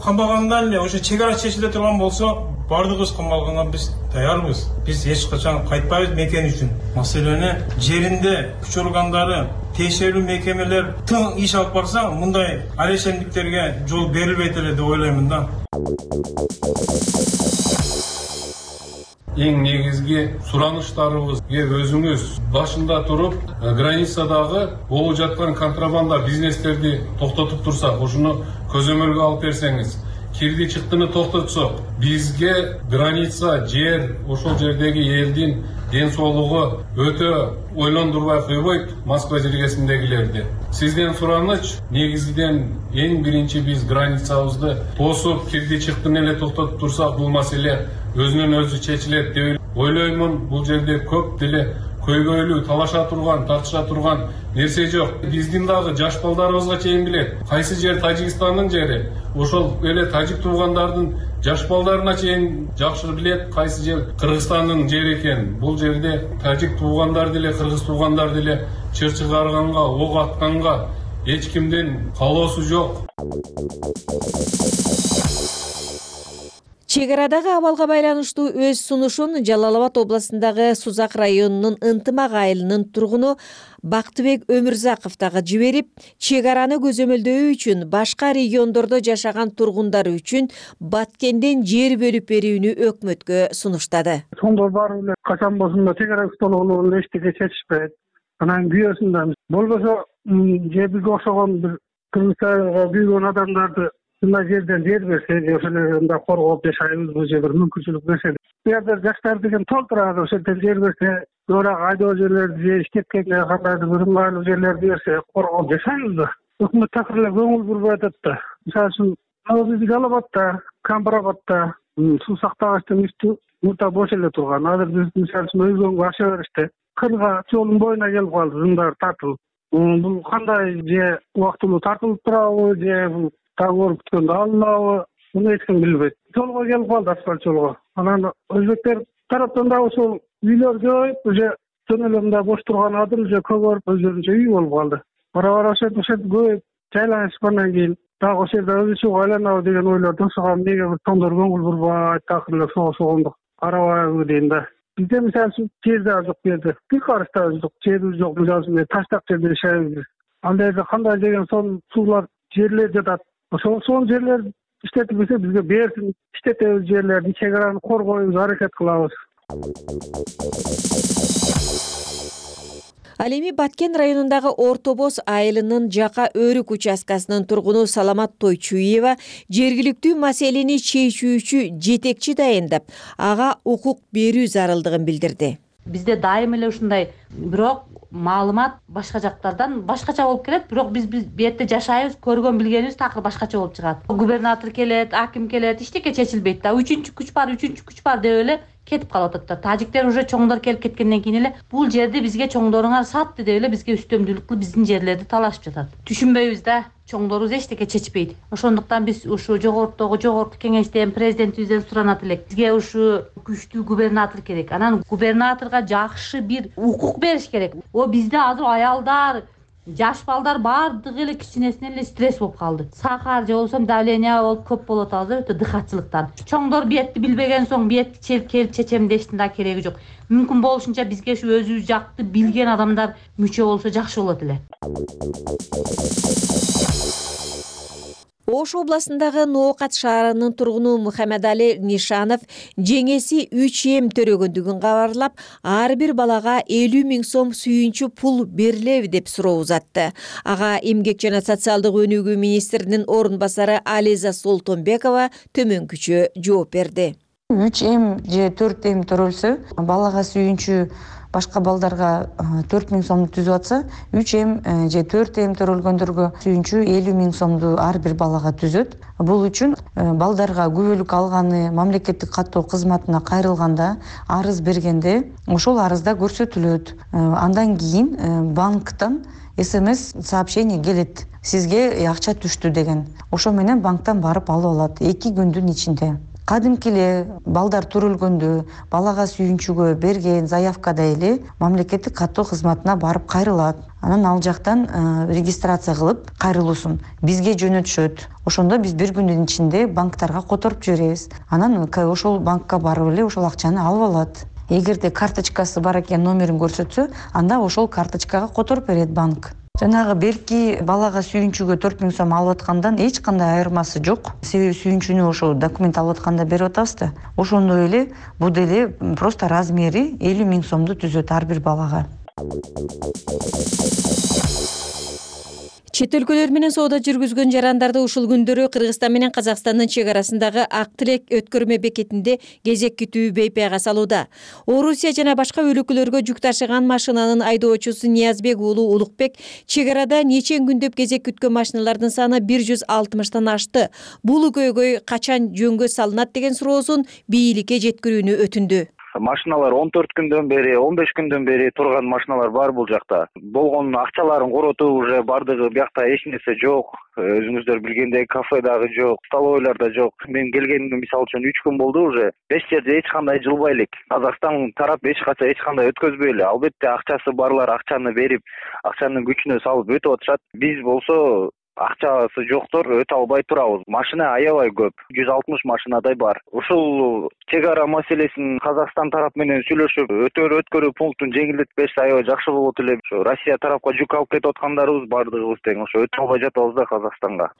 камагандан эле ошо чек ара чечиле турган болсо, бардыгыбыз камалганга биз даярбыз. Биз эч качан кайтпайбыз мекен үчүн. Маселени жеринде күч органдары, тиешелүү мекемелер тың иш алып барса, мындай алешемдиктерге жол берилбейт эле деп ойлоймун да. Эң негизги сураныштарыбызга өзүңүз башында туруп, границадагы болуп жаткан контрабанда бизнестерди токтотуп турсак, ушуну көзөмөлгө алып берсеңиз, кирди чыктыны токтотсок, бизге граница, жер, ошол жердеги элдин ден соолугу өтө ойлондурбай койбойт Москва жергесиндегилерди. Сизден сураныч, негизиден эң биринчи биз границабызды тосуп, кирди чыктыны эле токтотуп турсак, бул маселе өзүнөн өзү чечилет деп ойлоймун. Бул жерде көп деле көйгөйлүү, талаша турган, тартыша турган нерсе жок. Биздин дагы жаш балдарыбызга чейин билет. Кайсы жер Тажикстандын жери, ошол эле тажик туугандардын жаш балдарына чейин жакшы билет кайсы жер Кыргызстандын жери экен. Бул жерде тажик туугандар деле, кыргыз туугандар деле чыр чыгарганга, ок атканга эч кимдин каалоосу жок. Чек арадагы абалга байланыштуу өз сунушун Жалал Абад областындагы Сузак районунун Ынтымак айылынын тургуну Бактыбек Өмүрзаков дагы жиберип, чек араны көзөмөлдөө үчүн башка региондордо жашаган тургундар үчүн Баткенден жер бөлүп берүүнү өкмөткө сунуштады. Сондор бар эле качан болсун чек ара столуна эчтеке чечишпейт. Анан күйөөсүндө болбосо жерге окшогон бир кыргызстанга күйгөн адамдарды мына жерден жер берсе, ошолорда коргоп жашайбыз же бир мүмкүнчүлүк берсе. Буерде жаштар деген толтурат, ошол жерден жер берсе, бирок айдоо жерлерди же иштеп келген кандайдыр бир ыңгайлуу жерлерди берсе, коргоп жашайбыз да. Өкмөт так эле көңүл бурбай атат да. Мисалы үчүн биз Жалал Абадта, Камбарабадта суу сактагычтын үстү мурда бош эле турган. Азыр биз мисалы үчүн өзгөнгө аша беришти. Кырга жолдун боюна келип калды, зымдар тартылып. Бул кандай же убактылуу тартылып турабы, же бул таң ооруп күткөндө алынабы, муну эч ким билбейт. Жолго келип калды, асфальт жолго. Анан өзбектер тараптан да ошол үйлөр көбөйүп, уже жөн эле мындай бош турган адым уже көбөйүп, өзүнчө үй болуп калды. Бара ошентип көбөйүп жайланышкандан кийин дагы ошол жерде өзүчө айланабы деген ойлор тосуган, эмнеге бир тоңдор көңүл бурбайт, такыр эле согондук карабайбы дейм да. Бизде мисалы үчүн жер да жок, жерде бир карыш да жок, жерибиз жок. Мисалы үчүн таштак жерде жашайбыз. Андай жерде кандай деген сон суулар жерлер жатат. Ошол жерлер иштетип берсе бизге берсин, иштетебиз жерлерди, чек араны коргойбуз, аракет кылабыз. Ал эми Баткен районундагы Орто Боз айылынын Жака Өрүк участкасынын тургуну Саламат Тойчуева жергиликтүү маселени чечүүчү жетекчи дайындап, ага укук берүү зарылдыгын билдирди. Бизде дайым эле ушундай, бирок маалымат башка жактардан башкача болуп келет, бирок биз бетте жашайбыз, көргөн билгенибиз такыр башкача болуп чыгат. Губернатор келет, аким келет, эчтеке чечилбейт да. Үчүнчү күч бар деп эле кетип калып атат. Тажиктер уже чоңдор келип кеткенден кийин эле бул жерди бизге чоңдоруңар сатты деп эле бизге үстөмдүүлүк кылып биздин жерлерди талашып жатат. Түшүнбөйбүз да. Чоңдорубуз эчтеке чечпейт. Ошондуктан биз ушу жогорку кеңештен президентибизден суранат элек. Бизге ушу күчтүү губернатор керек. Анан губернаторго жакшы бир укук бериш керек. Бизде азыр аялдар, жаш балдар баардыгы эле кичинесинен эле стресс болуп калды. Сахар же болбосо давление болуп көп болуп атабыз, өтө дыхатчылыктан. Чоңдор биетти билбеген соң биетти келип чечем дештин да кереги жок. Мүмкүн болушунча бизге ушу өзүбүз жакты билген адамдар мүчө болсо жакшы болот эле. Ош областындагы Ноокат шаарынын тургуну Мухаммедали Нишанов жеңеси 3 эм төрөгөндүгүн кабарлап, ар бир балага 50 000 сом сүйүнчү пул берилеби деп суроо узатты. Ага эмгек жана социалдык өнүгүү министринин орун басары Ализа Солтонбекова төмөнкүчө жооп берди. 3 эм же 4 эм төрөлсө, балага сүйүнчү башка балдарга 4 000 сомду түзүп атса, 3 эм же 4 эм төрөлгөндөргө сүйүнчү 50 000 сомду ар бир балага түзөт. Бул үчүн балдарга күбөлүк алганы мамлекеттик каттоо кызматына кайрылганда, арыз бергенде ошол арызда көрсөтүлөт. Андан кийин банктан СМС сообщение келет. Сизге акча түштү деген. Ошо менен банктан барып алып алат 2 күндүн ичинде. Кадимки эле балдар төрөлгөндө балага сүйүнчүгө берген заявкада эле мамлекеттик каттоо кызматына барып кайрылат. Анан ал жактан регистрация кылып кайрылуусун бизге жөнөтүшөт. Ошондо биз 1 күндүн ичинде банктарга которуп жиберебиз. Анан ошол банкка барып эле ошол акчаны алып алат. Эгерде карточкасы бар экен, номерин көрсөтсө, анда ошол карточкага которуп берет банк. Жанагы берки балага сүйүнчүгө 4 000 сом алып аткандан эч кандай айырмасы жок. Себеби сүйүнчүнү ошо документ алып атканда берип атабыз да. Ошондой эле бул деле просто размери 50 000 сомду түзөт ар бир балага. Чет өлкөлөр менен соода жүргүзгөн жарандарды ушул күндөрү Кыргызстан менен Казакстандын чек арасындагы Ак Тилек өткөрмө бекетинде кезек күтүү бейпайга салууда. Орусия жана башка өлкөлөргө жүк ташыган машинанын айдоочусу Ниязбек уулу Улукбек чек арада нече күндөп кезек күткөн машиналардын саны 160тан ашты. Бул көйгөй качан жөнгө салынат деген суроосун бийликке жеткирүүнү өтүндү. Машиналар 14 күндөн бери, 15 күндөн бери турган машиналар бар бул жакта. Болгон акчаларын коротуу уже бардыгы биякта эч нерсе жок. Өзүңүздөр билгендей кафе дагы жок, столовойлар да жок. Мен келгениме мисалы үчүн 3 күн болду уже. Эч жерде эч кандай жылбай элек. Казакстан тарап эч качан эч кандай өткөзбөй эле. Албетте акчасы барлар акчаны берип, акчанын күчүнө салып өтүп атышат. Биз болсо акчасы жоктор өтө албай турабыз. Машина аябай көп. 160 машинадай бар. Ушул чек ара маселесин Казакстан тарап менен сүйлөшүп, өткөрүү пунктун жеңилдетип берсе аябай жакшы болот эле. Ошо Россия тарапка жүк алып кетип аткандарыбыз бардыгыбыз тең ошо өтө албай жатабыз да Казакстанга.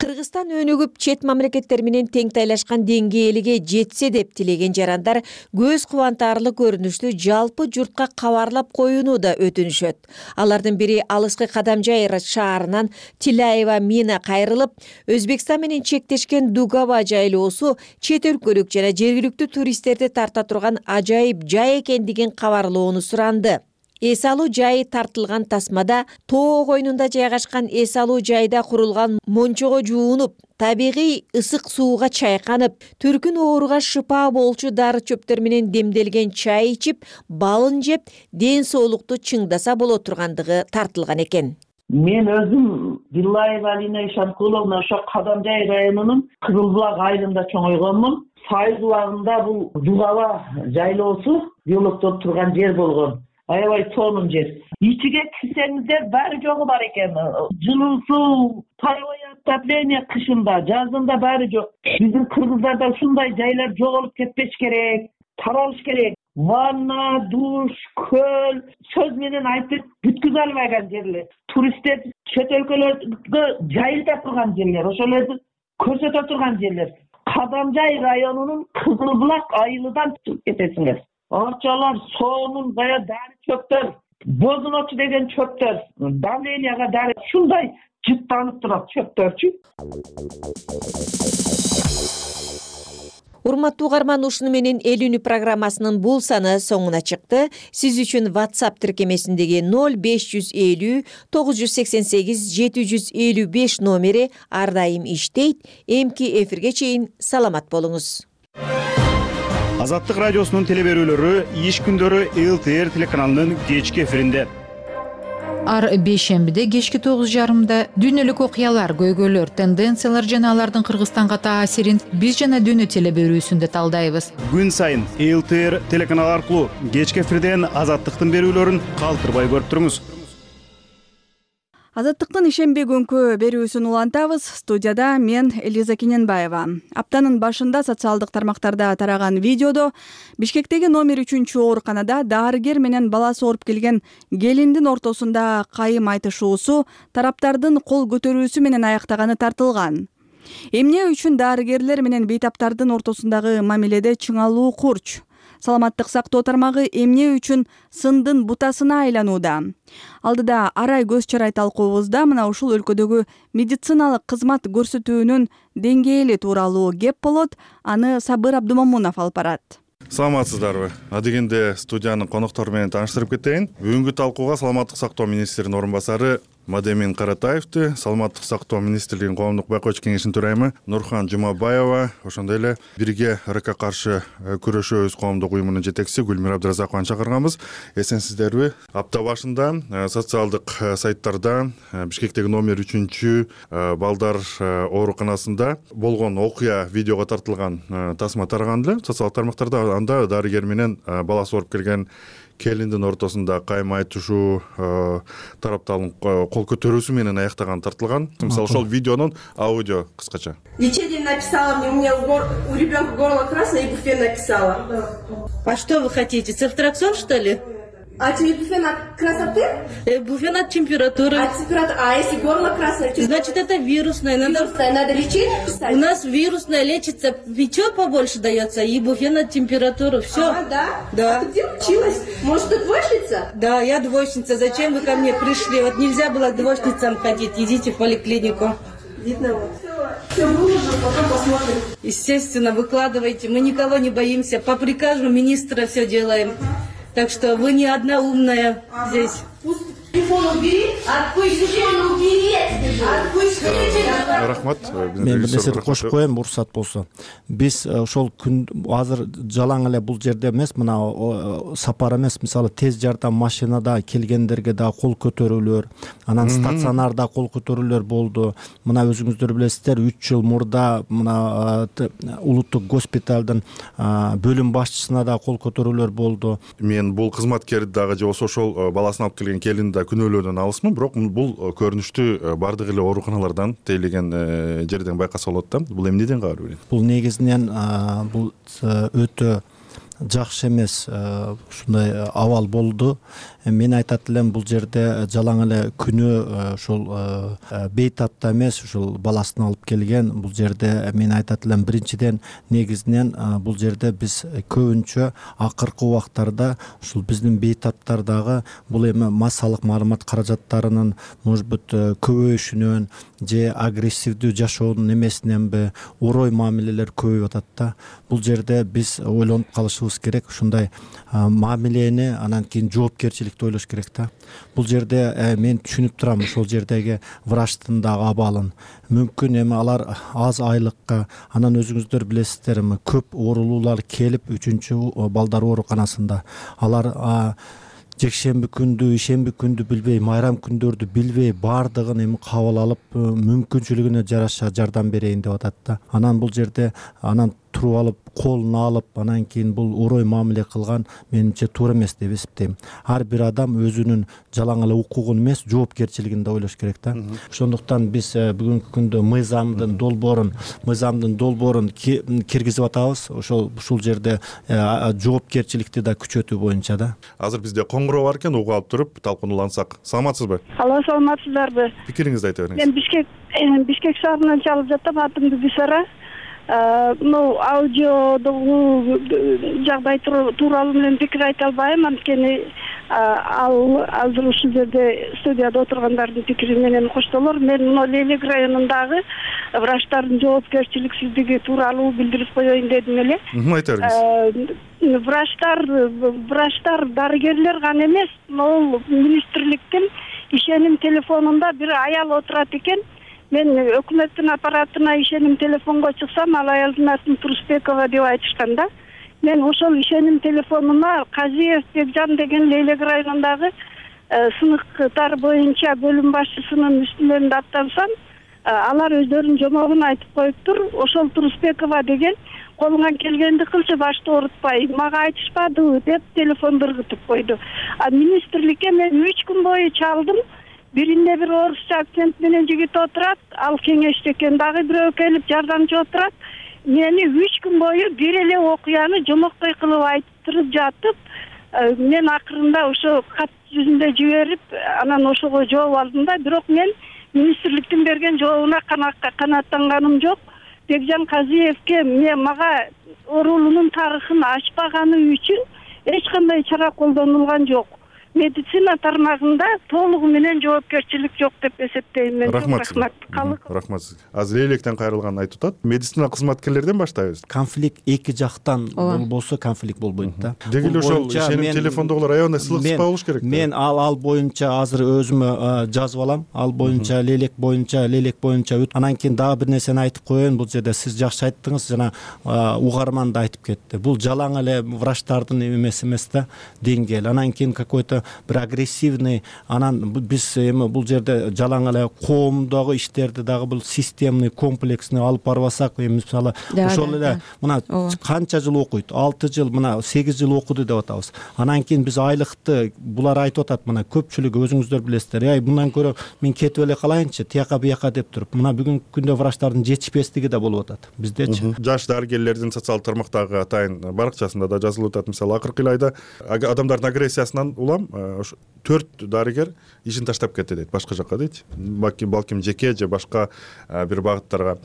Кыргызстан өнүгүп чет мамлекеттер менен тең тайлашкан деңгээлге жетсе деп тилеген жарандар көз кубантарлык көрүнүштү жалпы журтка кабарлап коюуну да өтүнүшөт. Алардын бири алыскы Кадамжай шаарынан Тилаева Мина кайрылып, Өзбекстан менен чектешкен Дугава жайлоосу чет өлкөлүк жана жергиликтүү туристтерди тарта турган ажайып жай экендигин кабарлоону суранды. Эс алуу жайы тартылган тасмада тоо койнунда жайгашкан эс алуу жайда курулган мончого жуунуп, табигый ысык сууга чайканып, түркүн ооруга шыпа болчу дары чөптөр менен демделген чай ичип, балын жеп, ден соолукту чыңдаса боло тургандыгы тартылган экен. Мен өзүм Дилаева Алина Ишанкуловна ошо Кадамжай районунун Кызылбулак айылында чоңойгонмун. Сайыз убагында бул Дугава жайлоосу биологдоп турган жер болгон. Аябай сонун жер. Ичиге кирсеңиздер баары жогу бар экен. Жылуу суу, паровое отопление кышында, жазында баары жок. Биздин кыргыздарда ушундай жайлар жоголуп кетпеш керек, таралыш керек. Ванна, душ, көл, сөз менен айтып бүткүзө албаган жерлер. Туристтер чет өлкөлөргө жайылтып турган жерлер, ошолорду көрсөтө турган жерлер. Кадамжай районунун Кызылбулак айылынан чыгып кетесиңер. Арчалар, сонун, бая дары чөптөр, бозуночу деген чөптөр, давленияга дары ушундай жыттанып турат чөптөрчү. Урматтуу угарман, ушуну менен эл үнү программасынын бул саны соңуна чыкты. Сиз үчүн WhatsApp тиркемесиндеги 0550 988 755 номери ар дайым иштейт. Эмки эфирге чейин саламат болуңуз. Азаттык радиосунун телеберүүлөрү иш күндөрү ЛТР телеканалынын кечки эфиринде. Ар бейшембиде кечки 9:30 дүйнөлүк окуялар, көйгөйлөр, тенденциялар жана алардын Кыргызстанга таасирин биз жана дүйнө телеберүүсүндө талдайбыз. Күн сайын ЛТР телеканалы аркылуу кечки эфирден Азаттыктын берүүлөрүн калтырбай көрүп туруңуз. Азаттыктын ишемби күнкү берүүсүн улантабыз. Студияда мен Элиза Кененбаева. Аптанын башында социалдык тармактарда тараган видеодо Бишкектеги номер 3 ооруканада дарыгер менен баласы ооруп келген келиндин ортосунда кайым айтышуусу тараптардын кол көтөрүүсү менен аяктаганы тартылган. Эмне үчүн дарыгерлер менен бейтаптардын ортосундагы мамиледе чыңалуу курч? Саламаттык сактоо тармагы эмне үчүн сындын бутасына айланууда? Алдыда арай көз чарай талкуубузда мына ушул өлкөдөгү медициналык кызмат көрсөтүүнүн деңгээли тууралуу кеп болот. Аны Сабыр Абдумомунов алып барат. Саламатсыздарбы? Адегенде студиянын коноктору менен тааныштырып кетейин. Бүгүнкү талкууга саламаттык сактоо министринин орун басары Мадемин Каратаевди, саламаттык сактоо министрлигинин коомдук байкоочу кеңешинин төрайымы Нурхан Жумабаева, ошондой эле бирге РК каршы күрөшөбүз коомдук уюмунун жетекчиси Гүлмира Абдыразакованы чакырганбыз. Эсенсиздерби? Апта башында социалдык сайттарда Бишкектеги номер 3 балдар ооруканасында болгон окуя видеого тартылган тасма тараган эле социалдык тармактарда. Анда дарыгер менен баласы ооруп келген келиндин ортосунда кайым айтышуу тараптардын кол көтөрүүсү менен аяктаган тартылган. Мисалы ошол видеонун аудио кыскача. Лечение написала мне, у меня у ребенка горло красное, ибуфен написала. А что вы хотите, цефтраксон, что ли? А ибуфен от красоты? Ибуфен от температуры. А если горло красное? Значит, это вирусное. Надо лечить писать? У нас вирусное лечится, печет побольше дается, ибуфен от температуры. Все. А, да? Да. А ты где училась? Может, ты двоечница? Да, я двоечница. Зачем вы ко мне пришли? Вот нельзя было к двоечницам ходить. Идите в поликлинику. Видно вот. Все выложу, потом посмотрим. Естественно, выкладывайте. Мы никого не боимся. По приказу министра все делаем. Так что вы не одна умная здесь. Телефон убери, отпусти, телефон убери. Рахмат. Мен бир нерсе кошуп коем, уруксат болсо. Биз ошол күн азыр жалаң эле бул жерде эмес, мына сапар эмес, мисалы тез жардам машинада келгендерге да кол көтөрүүлөр, анан стационарда кол көтөрүүлөр болду. Мына өзүңүздөр билесиздер, 3 жыл мурда мына улуттук госпиталдын бөлүм башчысына да кол көтөрүүлөр болду. Мен бул кызматкерди дагы же ошол баласын алып келген келинди да күнөөлөөдөн алысмын, бирок бул көрүнүштү бардык эле ооруканалардан тейлеген жерден байкаса болот да. Бул эмнеден кабар берет? Бул негизинен бул өтө жакшы эмес ушундай абал болду. Мен айтат элем, бул жерде жалаң эле күнөө ошол бейтапта эмес, ушул баласын алып келген. Бул жерде мен айтат элем, биринчиден негизинен бул жерде биз көбүнчө акыркы убактарда ушул биздин бейтаптардагы бул эми массалык маалымат каражаттарынын может быть көбөйүшүнөн же агрессивдүү жашоонун эмесиненби орой мамилелер көбөйүп атат да. Бул жерде биз ойлонуп калышыбыз керек, ушундай мамилени анан кийин жоопкерчиликти ойлош керек да. Бул жерде мен түшүнүп турам ошол жердеги врачтын дагы абалын. Мүмкүн эми алар аз айлыкка, анан өзүңүздөр билесиздер, көп оорулуулар келип 3 балдар ооруканасында. Алар жекшемби күндү, ишемби күндү билбей, майрам күндөрдү билбей, баардыгын эми кабыл алып, мүмкүнчүлүгүнө жараша жардам берейин деп атат да. Анан бул жерде туруп алып, колун алып, анан кийин бул орой мамиле кылган менимче туура эмес деп эсептейм. Ар бир адам өзүнүн жалаң эле укугун эмес, жоопкерчилигин да ойлош керек да. Ошондуктан биз бүгүнкү күндө мыйзамдын долбоорун киргизип атабыз. Ушул жерде жоопкерчиликти да күчөтүү боюнча да. Азыр бизде коңгуроо бар экен, угуп алып туруп талкууну улантсак. Саламатсызбы? Алло, саламатсыздарбы? Пикириңизди айта бериңиз. Мен Бишкек шаарынан чалып жатам, атым Гүлсара. Аудиодогу жагдай тууралуу менен пикир айта албайм, анткени ал азыр ушул жерде студияда отургандардын пикири менен коштолор. Мен мына Лейлек районундагы врачтардын жоопкерчиликсиздиги тууралуу билдирип коеюн дедим эле. Айта бериңиз. Врачтар дарыгерлер гана эмес, могул министрликтин ишеним телефонунда бир аял отурат экен. Мен өкмөттүн аппаратына ишеним телефонго чыксам, ал аялдын атын Турусбекова деп айтышкан да. Мен ошол ишеним телефонуна Казиев Бекжан деген Лейлек районундагы сыныктар боюнча бөлүм башчысынын үстүнөн аттансам, алар өздөрүнүн жомогун айтып коюптур. Ошол Турусбекова деген колуңан келгенди кылчы, башты оорутпай, мага айтышпадыбы деп телефонду ыргытып койду. Министрликке мен 3 күн бою чалдым. Биринде бир орусча акцент менен жигит отурат, ал кеңеште экен, дагы бирөө келип жардамчы отурат. Мени 3 күн бою бир эле окуяны жомоктой кылып айтып жатып, мен акырында ошо кат жүзүндө жиберип, анан ошого жооп алдым да. Бирок мен министрликтин берген жообуна канааттанганым жок. Бекжан Казиевке мага оорулуунун тарыхын ачпаганы үчүн эч кандай чара колдонулган жок. Медицина тармагында толугу менен жоопкерчилик жок деп эсептейм мен. Рахмат. Рахмат. Азыр Лейлектен кайрылганын айтып атат. Медицина кызматкерлерден баштайбыз. Конфликт эки жактан болсо конфликт болбойт да. Деги эле ошол ишеним телефондогулар аябай сылыксыз болуш керек. Мен ал боюнча азыр өзүмө жазып алам. Ал боюнча Лейлек боюнча анан кийин дагы бир нерсени айтып коеюн. Бул жерде сиз жакшы айттыңыз, жана угарман да айтып кетти. Бул жалаң эле врачтардын эмес да, деңгээл. Анан кийин какой-то бир агрессивный, анан биз эми бул жерде жалаң эле коомдогу иштерди дагы бул системный, комплексный алып барбасак, эми мисалы ошол эле мына канча жыл окуйт, 6 жыл, мына 8 жыл окуду деп атабыз. Анан кийин биз айлыкты булар айтып атат, мына көпчүлүгү өзүңүздөр билесиздер. Мындан көрө мен кетип эле калайынчы, тияка бияка деп туруп. Мына бүгүнкү күндө врачтардын жетишпестиги да болуп атат биздечи. Жаш дарыгерлердин социалдык тармактагы атайын баракчасында да жазылып атат. Мисалы акыркы айда адамдардын агрессиясынан улам 4 дарыгер ишин таштап кетти дейт, башка жакка дейт. Балким жеке же башка бир багыттарга.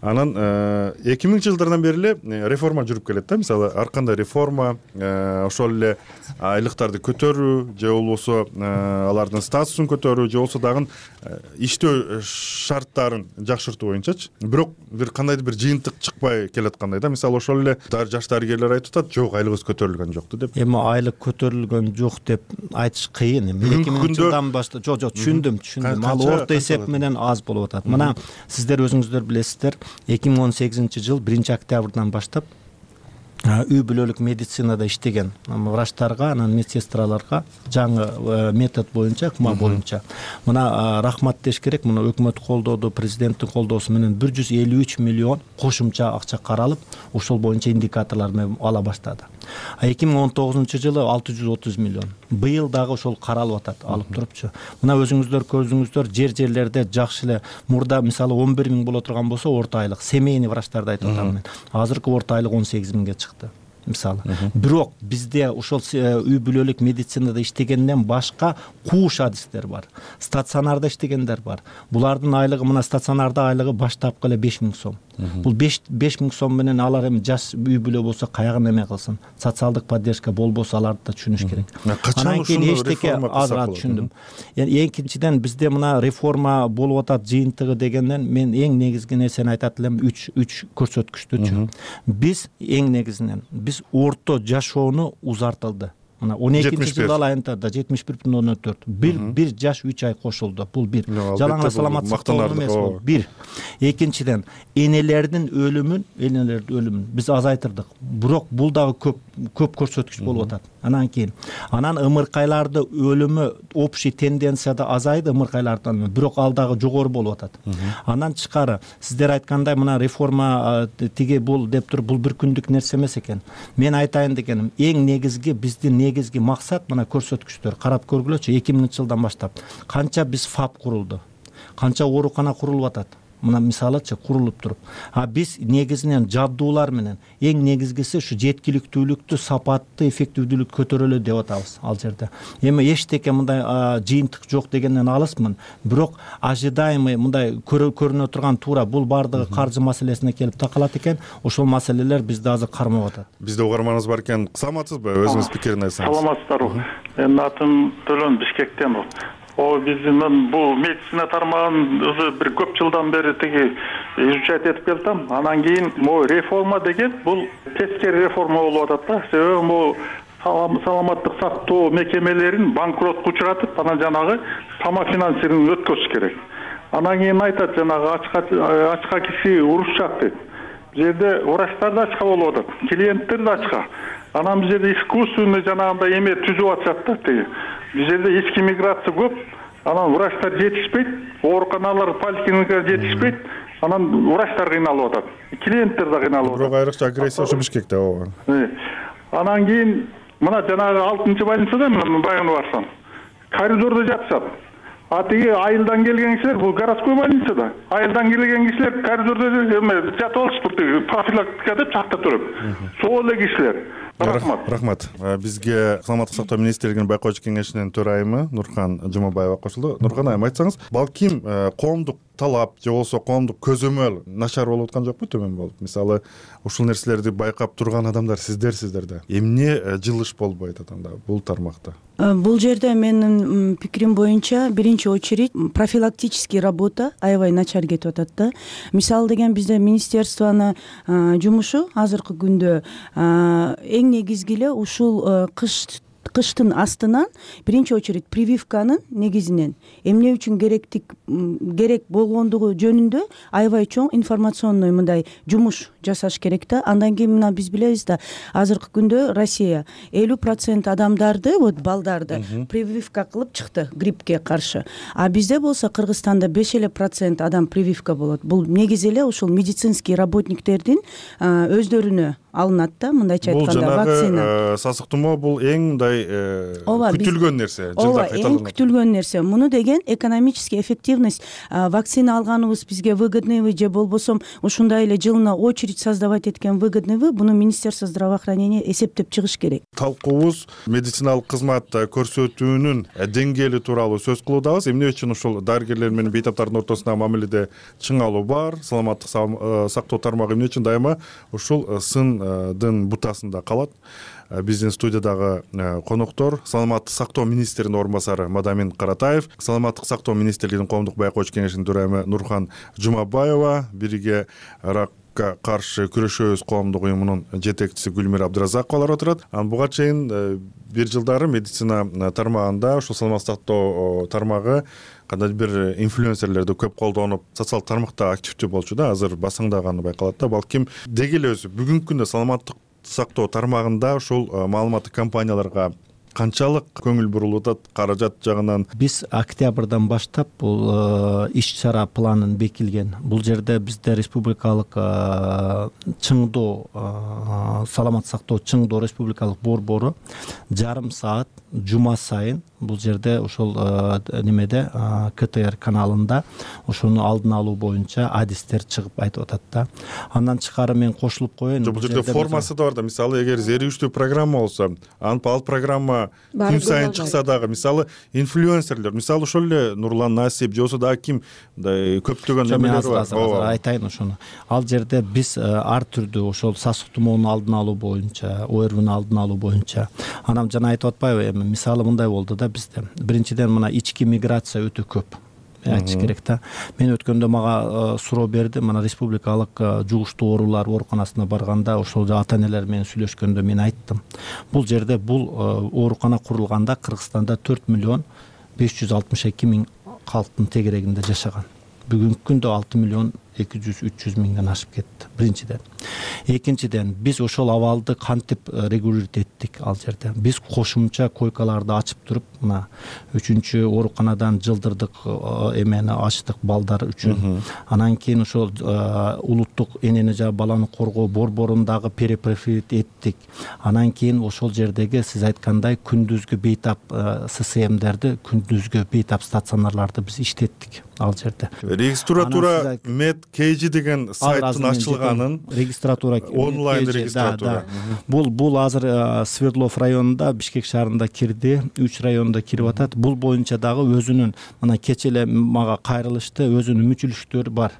Анан 2000-жылдардан бери эле реформа жүрүп келет да. Мисалы ар кандай реформа ошол эле айлыктарды көтөрүү же болбосо алардын статусун көтөрүү же болбосо дагы иштөө шарттарын жакшыртуу боюнчачы. Бирок бир кандайдыр бир жыйынтык чыкпай келаткандай да. Мисалы ошол эле жаш дарыгерлер айтып атат, жок айлыгыбыз көтөрүлгөн жокту деп. Эми айлык көтөрүлгөн жок деп айтыш кыйын. 2000-жылдан баштап түшүндүм. Ал орто эсеп менен аз болуп атат. Мына сиздер өзүңүздөр билесиздер, 2018-жыл 1-октябрдан баштап үй бүлөлүк медицинада иштеген врачтарга, анан медсестраларга жаңы метод боюнча, ыкма боюнча мына рахмат деш керек. Мына өкмөт колдоду, президенттин колдоосу менен 153 миллион кошумча акча каралып, ошол боюнча индикаторлор менен ала баштады. 2019-жылы 630 миллион. Быйыл дагы ошол каралып атат, алып турупчу. Мына өзүңүздөр көзүңүздөр жерлерде жакшы эле мурда мисалы 11 000 боло турган болсо орто айлык семейный врачтарды айтып атам мен. Азыркы орто айлык 18 000 чыкты. Мисалы. Бирок бизде ошол үй бүлөлүк медицинада иштегенден башка кууш адистер бар. Стационарда иштегендер бар. Булардын айлыгы, мына стационарда айлыгы баштапкы эле 5 000 сом. Бул 5 000 сом менен алар эми жаш үй бүлө болсо каягын эме кылсын. Социалдык поддержка болбосо аларды да түшүнүш керек. Анан кийин эчтеке азыраак түшүндүм. Экинчиден бизде мына реформа болуп атат жыйынтыгы дегенден мен эң негизги нерсени айтат элем, 3 көрсөткүчтүчү. Биз эң негизинен биз орто жашоону узартылды. Мына 12-жыл айында 71,4. Бир жаш 3 ай кошулду. Бул бир. Жалаң саламаттык эмес бул. Бир. Экинчиден энелердин өлүмүн биз азайтырдык. Бирок бул дагы көп көрсөткүч болуп атат. Анан кийин ымыркайларды өлүмү общий тенденцияда азайды ымыркайлардан, бирок ал дагы жогору болуп атат. Андан тышкары сиздер айткандай мына реформа тиги бул деп туруп бул бир күндүк нерсе эмес экен. Мен айтайын дегеним, эң негизги биздин негизги максат мына көрсөткүчтөр. Карап көргүлөчү, 2000-жылдан баштап канча биз ФАП курулду, канча оорукана курулуп атат. мына мисалычы курулуп туруп, биз негизинен жабдуулар менен эң негизгиси ушу жеткиликтүүлүктү, сапатты, эффективдүүлүктү көтөрөлү деп атабыз ал жерде. Эми эчтеке мындай жыйынтык жок дегенден алысмын, бирок ожидаемый мындай көрүнө турган туура бул баардыгы каржы маселесине келип такалат экен. Ошол маселелер бизди азыр кармап атат. Бизде угарманыбыз бар экен. Саламатсызбы? Өзүңүз пикирин айтсаңыз. Саламатсыздарбы? Менин атым Төлөн, Бишкектен. Биздин бул медицина тармагын өзү бир көп жылдан бери тиги изучать этип келатам. Анан кийин могу реформа деген бул тескери реформа болуп атат да. Себеби могу саламаттык сактоо мекемелерин банкротко учуратып, анан жанагы самофинансирование өткөзүш керек. Анан кийин айтат жанагы ачка киши урушчак дейт. Бул жерде врачтар да ачка болуп атат, клиенттер да ачка. Анан бул жерде искусственный жанагындай эме түзүп атышат да тиги. Бул жерде ички миграция көп, анан врачтар жетишпейт, ооруканалар, поликлиникалар жетишпейт, анан врачтар кыйналып атат, клиенттер да кыйналып атат. Бирок айрыкча агрессия ушу Бишкекте ооба. Анан кийин мына жанагы 6-больницада баягы барсам, коридордо жатышат. Тиги айылдан келген кишилер, бул городской больницада. Айылдан келген кишилер коридордо жатып алышыптыр, тиги профилактика деп чакта туруп. Сол эле кишилер. Рахмат. Бизге саламаттык сактоо министрлигинин байкоочу кеңешинин төрайымы Нурхан Жумабаева кошулду. Нурхан айым, айтсаңыз, балким коомдук талап же болбосо коомдук көзөмөл начар болуп аткан жокпу, төмөн болуп? Мисалы, ушул нерселерди байкап турган адамдар сиздерсиздер да. Эмне жылыш болбойт атанда бул тармакта? Бул жерде менин пикирим боюнча биринчи очередь профилактический работа аябай начар кетип атат да. Мисалы деген бизде министерствонун жумушу азыркы күндө эң негизги эле ушул кыштын астынан биринчи очередь прививканын негизинен эмне үчүн керек болгондугу жөнүндө аябай чоң информационный мындай жумуш жасаш керек да. Андан кийин мына биз билебиз да, азыркы күндө Россия 50% адамдарды, балдарды прививка кылып чыкты гриппке каршы. А бизде болсо Кыргызстанда 5% адам прививка болот. Бул негизи эле ушул медицинский работниктердин өздөрүнө алынат да, мындайча айтканда вакцина. Бул жанагы сасык тумоо бул эң мындай күтүлгөн нерсе, жылда кайталанат. Эң күтүлгөн нерсе. Муну деген экономический эффективность, вакцина алганыбыз бизге выгодныйбы же болбосо ушундай эле жылына очередь создавать эткен выгодныйбы, буну Министерство здравоохранения эсептеп чыгыш керек. Талкуубуз медициналык кызмат көрсөтүүнүн деңгээли тууралуу сөз кылуудабыз. Эмне үчүн ушул дарыгерлер менен бейтаптардын ортосундагы мамиледе чың алуу бар, саламаттык сактоо тармагы эмне үчүн дайыма ушул сындын бутасында калат? Биздин студиядагы коноктор саламаттык сактоо министринин орун басары Мадамин Каратаев, саламаттык сактоо министрлигинин коомдук байкоочу кеңешинин төрайымы Нурхан Жумабаева, бирге ракка каршы күрөшөбүз коомдук уюмунун жетекчиси Гүлмира Абдыразаковалар отурат. Буга чейин бир жылдары медицина тармагында ушул саламаттык сактоо тармагы кандайдыр бир инфлюенсерлерди көп колдонуп, социалдык тармакта активдүү болчу да, азыр басаңдаганы байкалат да. Балким деги эле өзү бүгүнкү күндө саламаттык сактоо тармагында ушул маалыматтык компанияларга канчалык көңүл бурулуп атат каражат жагынан? Биз октябрдан баштап бул иш-чара планын бекилген. Бул жерде бизде республикалык чыңдоо, саламаттык сактоо чыңдоо республикалык борбору жарым саат жума сайын бул жерде ошол немеде КТР каналында ошону алдын алуу боюнча адистер чыгып айтып атат да. Андан тышкары мен кошулуп коеюн. Бул жерде формасы да бар да. Мисалы, эгер зерттүү программа болсо, ал программа күн сайын чыкса дагы, мисалы, инфлюенсерлер, мисалы ошол эле Нурлан Насип же болсо дагы ким көптөгөн немелер бар. Айтайын ошону. Ал жерде биз ар түрдүү ошол сасык тумоонун алдын алуу боюнча, ОРВнун алдын алуу боюнча. Анан жана айтып атпайбы, эми мисалы мындай болду да бизде. Биринчиден мына ички миграция өтө көп. Айтыш керек да. Мен өткөндө мага суроо берди, мына республикалык жугуштуу оорулар ооруканасына барганда, ошол ата энелер менен сүйлөшкөндө мен айттым. Бул жерде бул оорукана курулганда Кыргызстанда 4.562.000 калктын тегерегинде жашаган. Бүгүнкү күндө 6.000.000 200-300 миңден ашып кетти биринчиден. Экинчиден биз ошол абалды кантип регулировать эттик ал жерде. Биз кошумча койкаларды ачып туруп, мына 3-чү ооруканадан жылдырдык эмени ачтык балдар үчүн. Анан кийин ошол улуттук энени жана баланы коргоо борборундагы перепрофилит эттик. Анан кийин ошол жердеги сиз айткандай күндүзгү бейтап ССМдерди, күндүзгү бейтап стационарларды биз иштеттик ал жерде. Регистратура Med KG деген сайттын ачылганын, регистратура онлайн регистратура. Бул азыр Свердлов районунда, Бишкек шаарында кирди, 3 районунда кирип атат. Бул боюнча дагы өзүнүн мына кече эле мага кайрылышты, өзүнүн мүчүлүктөрү бар.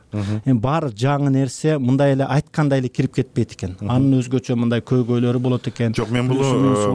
Эми баары жаңы нерсе мындай эле айткандай эле кирип кетпейт экен. Анын өзгөчө мындай көйгөйлөрү болот экен. Жок, мен бул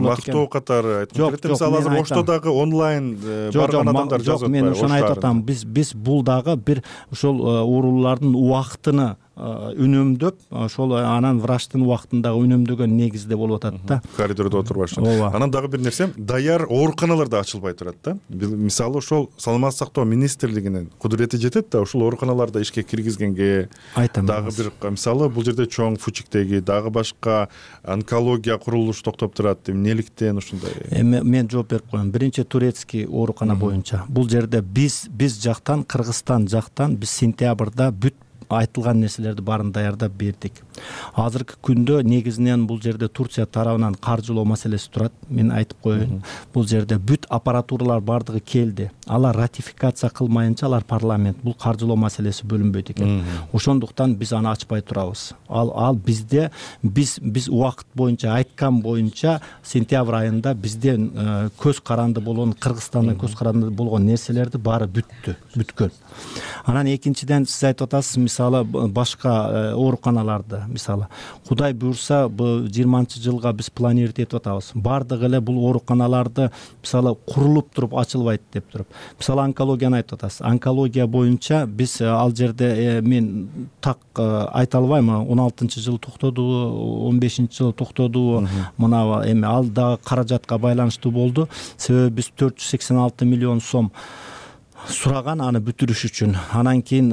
мактоо катары айткым келет. Мисалы азыр Ошто дагы онлайн барган адамдар жазып атпайбы? Мен ошону айтып атам. Биз бул дагы бир ошол оорулардын убактыны үнөмдөп, ошол анан врачтын убактындагы үнөмдөгөн негизде болуп атат да. Коридордо отурбаш үчүн. Анан дагы бир нерсе, даяр ооруканалар да ачылбай турат да. Мисалы ошол Саламаттык сактоо министрлигинин кудурети жетет да, ошол ооруканаларды ишке киргизгенге дагы бир, мисалы бул жерде чоң Фучиктеги дагы башка онкология курулушу токтоп турат. Эмнеликтен ушундай? Мен жооп берип коем. Биринчи турецкий оорукана боюнча. Бул жерде биз жактан, Кыргызстан жактан биз сентябрда бүт айтылган нерселерди баарын даярдап бердик. Азыркы күндө негизинен бул жерде Турция тарабынан каржылоо маселеси турат. Мен айтып коеюн. Бул жерде бүт аппаратуралар бардыгы келди. Алар ратификация кылмайынча алар парламент бул каржылоо маселеси бөлүнбөйт экен. Ошондуктан биз аны ачпай турабыз. Ал бизде биз убакыт боюнча айткан боюнча сентябрь айында бизде көз каранды болгон, Кыргызстандын көз каранды болгон нерселерди баары бүткөн. Анан экинчиден сиз айтып атасыз, мисалы башка ооруканаларды, мисалы Кудай буйрса бул 20-жылга биз планировать этип атабыз. Бардыгы эле бул ооруканаларды мисалы курулуп туруп ачылбайт деп туруп. Мисалы онкологияны айтып атасыз. Онкология боюнча биз ал жерде мен так айта албайм, 16-жылы токтодубу, 15-жылы токтодубу, мына эми ал дагы каражатка байланыштуу болду. Себеби биз 486 миллион сом сураган аны бүтүрүш үчүн. Анан кийин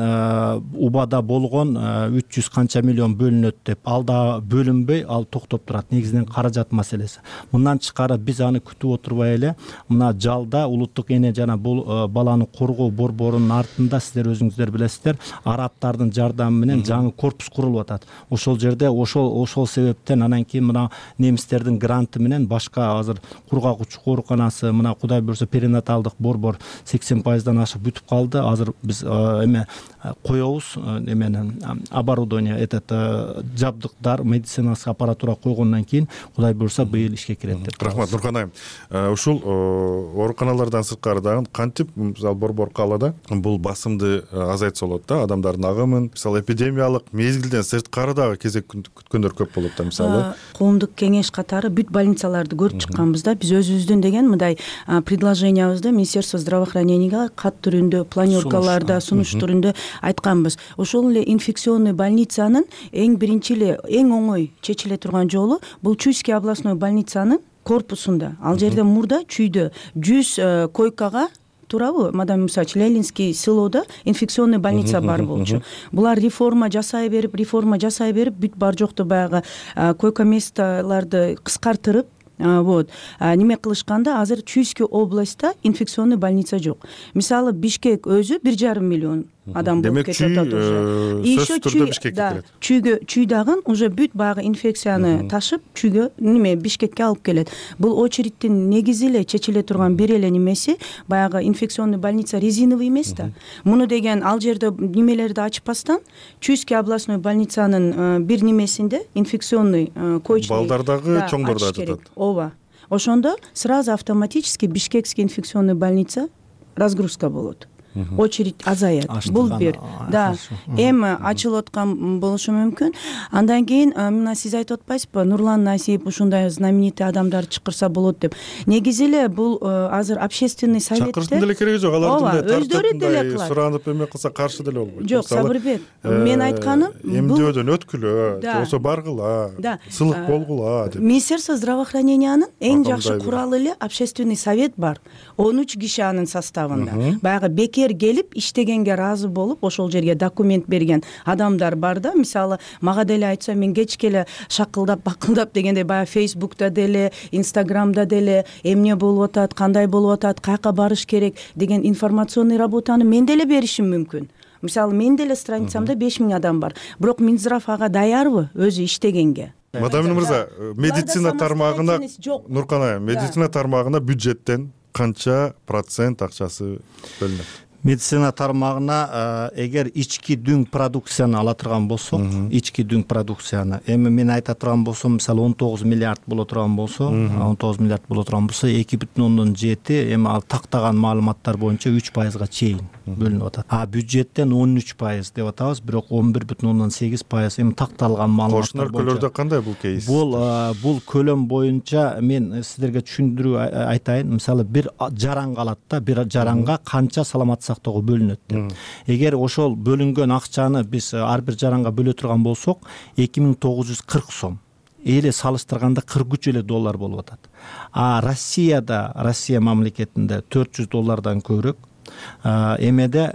убада болгон 300 канча миллион бөлүнөт деп. Ал да бөлүнбөй, ал токтоп турат. Негизинен каражат маселеси. Мындан тышкары биз аны күтүп отурбай эле мына жалда улуттук эне жана баланы коргоо борборунун артында сиздер өзүңүздөр билесиздер, арабтардын жардамы менен жаңы корпус курулуп атат. Ошол жерде ошол себептен анан кийин мына немистердин гранты менен башка азыр кургак ооруканасы, мына Кудай буйрса перинаталдык борбор 80% ашып бүтүп калды. Азыр биз эме коебуз, эмени оборудование, жабдыктар, медицинасый аппаратура койгондон кийин Кудай буйрса быйыл ишке кирет деп. Рахмат Нуркан айым. Ушул ооруканалардан сырткары дагы кантип мисалы борбор каалада бул басымды азайтса болот да, адамдардын агымын, мисалы эпидемиялык мезгилден сырткары дагы кезек күткөндөр көп болот да, мисалы коомдук кеңеш катары бүт больницаларды көрүп чыкканбыз да. Биз өзүбүздүн деген мындай предложениябызды Министерство здравоохраненияга кат түрүндө, планёркаларда, сунуш түрүндө айтканбыз. Ошол эле инфекционный больницанын эң биринчи эле, эң оңой чечиле турган жолу бул Чуйский областной больницанын корпусунда. Ал жерде мурда чүйдө 100 койкага туурабы, мадам Мусач, Ленинский селодо инфекционный больница бар болчу. Булар реформа жасай берип, бүт бар жокту баягы койка месталарды кыскартырып, неме кылышканда азыр Чуйский областта инфекционный больница жок. Мисалы Бишкек өзү 1,5 миллион адам болуп кетип атат уже. Сөзсүз түрдө Бишкекке кирет. Чүй дагы уже бүт баягы инфекцияны ташып, чүйгө Бишкекке алып келет. Бул очередтин негизи эле чечиле турган бир эле немеси баягы инфекционный больница резиновый эмес да. Муну деген ал жерде немелерди ачпастан Чуйский областной больницанын бир немесинде инфекционный койчный балдар дагы чоңдор да жатат. Ооба. Ошондо сразу автоматически Бишкекский инфекционный больница разгрузка болот. Очередь азаят. Бул бир. Да. Эми ачылып аткан болушу мүмкүн. Андан кийин мына сиз айтып атпайсызбы, Нурлан Насип ушундай знаменитый адамдар чакырса болот деп. Негизи эле бул азыр общественный советте чакырыштын деле кереги жок. Алар өздөрү деле кылат. Суранып эме кылса каршы деле болбойт. Жок, Сабырбек, мен айтканым эмдөөдөн өткүлө, болсо баргыла, сылык болгула деп. Министерство здравоохранениянын эң жакшы куралы эле общественный совет бар. 13 киши анын составында. Баягы бекер эгер келип иштегенге ыраазы болуп ошол жерге документ берген адамдар бар да, мисалы мага деле айтса мен кечке эле шакылдап бакылдап дегендей баягы Facebook'та деле, Instagram'да деле эмне болуп атат, кандай болуп атат, каяка барыш керек деген информационный работаны мен деле беришим мүмкүн. Мисалы мен деле страницамда 5000 адам бар, бирок Минздрав ага даярбы өзү иштегенге? Мадамин мырза, медицина тармагына, Нуркан айым, медицина тармагына бюджеттен канча процент акчасы бөлүнөт? Медицина тармагына эгер ички дүң продукцияны ала турган болсок, ички дүң продукцияны, эми мен айта турган болсом, мисалы 19 миллиард боло турган болсо, 19 миллиард боло турган болсо, 2,7 эми ал тактаган маалыматтар боюнча 3%га чейин бөлүнүп атат. А бюджеттен 13% деп атабыз, бирок 11,8% эми такталган маалыматтар боюнча. Өлкөлөрдө кандай бул кейс? Бул көлөм боюнча мен сиздерге түшүндүрүү айтайын. Мисалы бир жаран калат да, бир жаранга канча саламат сактоого бөлүнөт деп. Эгер ошол бөлүнгөн акчаны биз ар бир жаранга бөлө турган болсок, 2940 сом. Эле салыштырганда 43 эле доллар болуп атат. А Россия мамлекетинде $400 көбүрөөк. Эмеде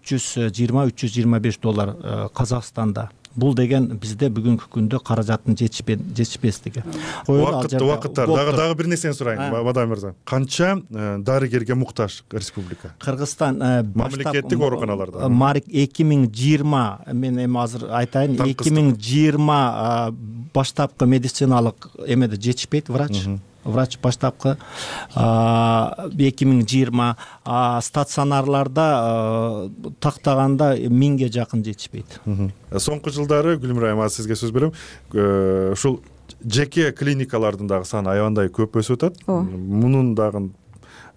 320-325 доллар Казакстанда. Бул деген бизде бүгүнкү күндө каражаттын жетишпестиги. Убакыттар дагы бир нерсени сурайын, Мадам мырза. Канча дарыгерге муктаж республика? Кыргызстан мамлекеттик ооруканаларда. 2020, мен эми азыр айтайын, 2020 баштапкы медициналык эмеде жетишпейт врач баштапкы 2020 стационарларда тактаганда 1000ге жакын жетишпейт. Соңку жылдары Гүлмира айым, сизге сөз берем. Ушул жеке клиникалардын дагы саны аябандай көп өсүп атат. Мунун дагы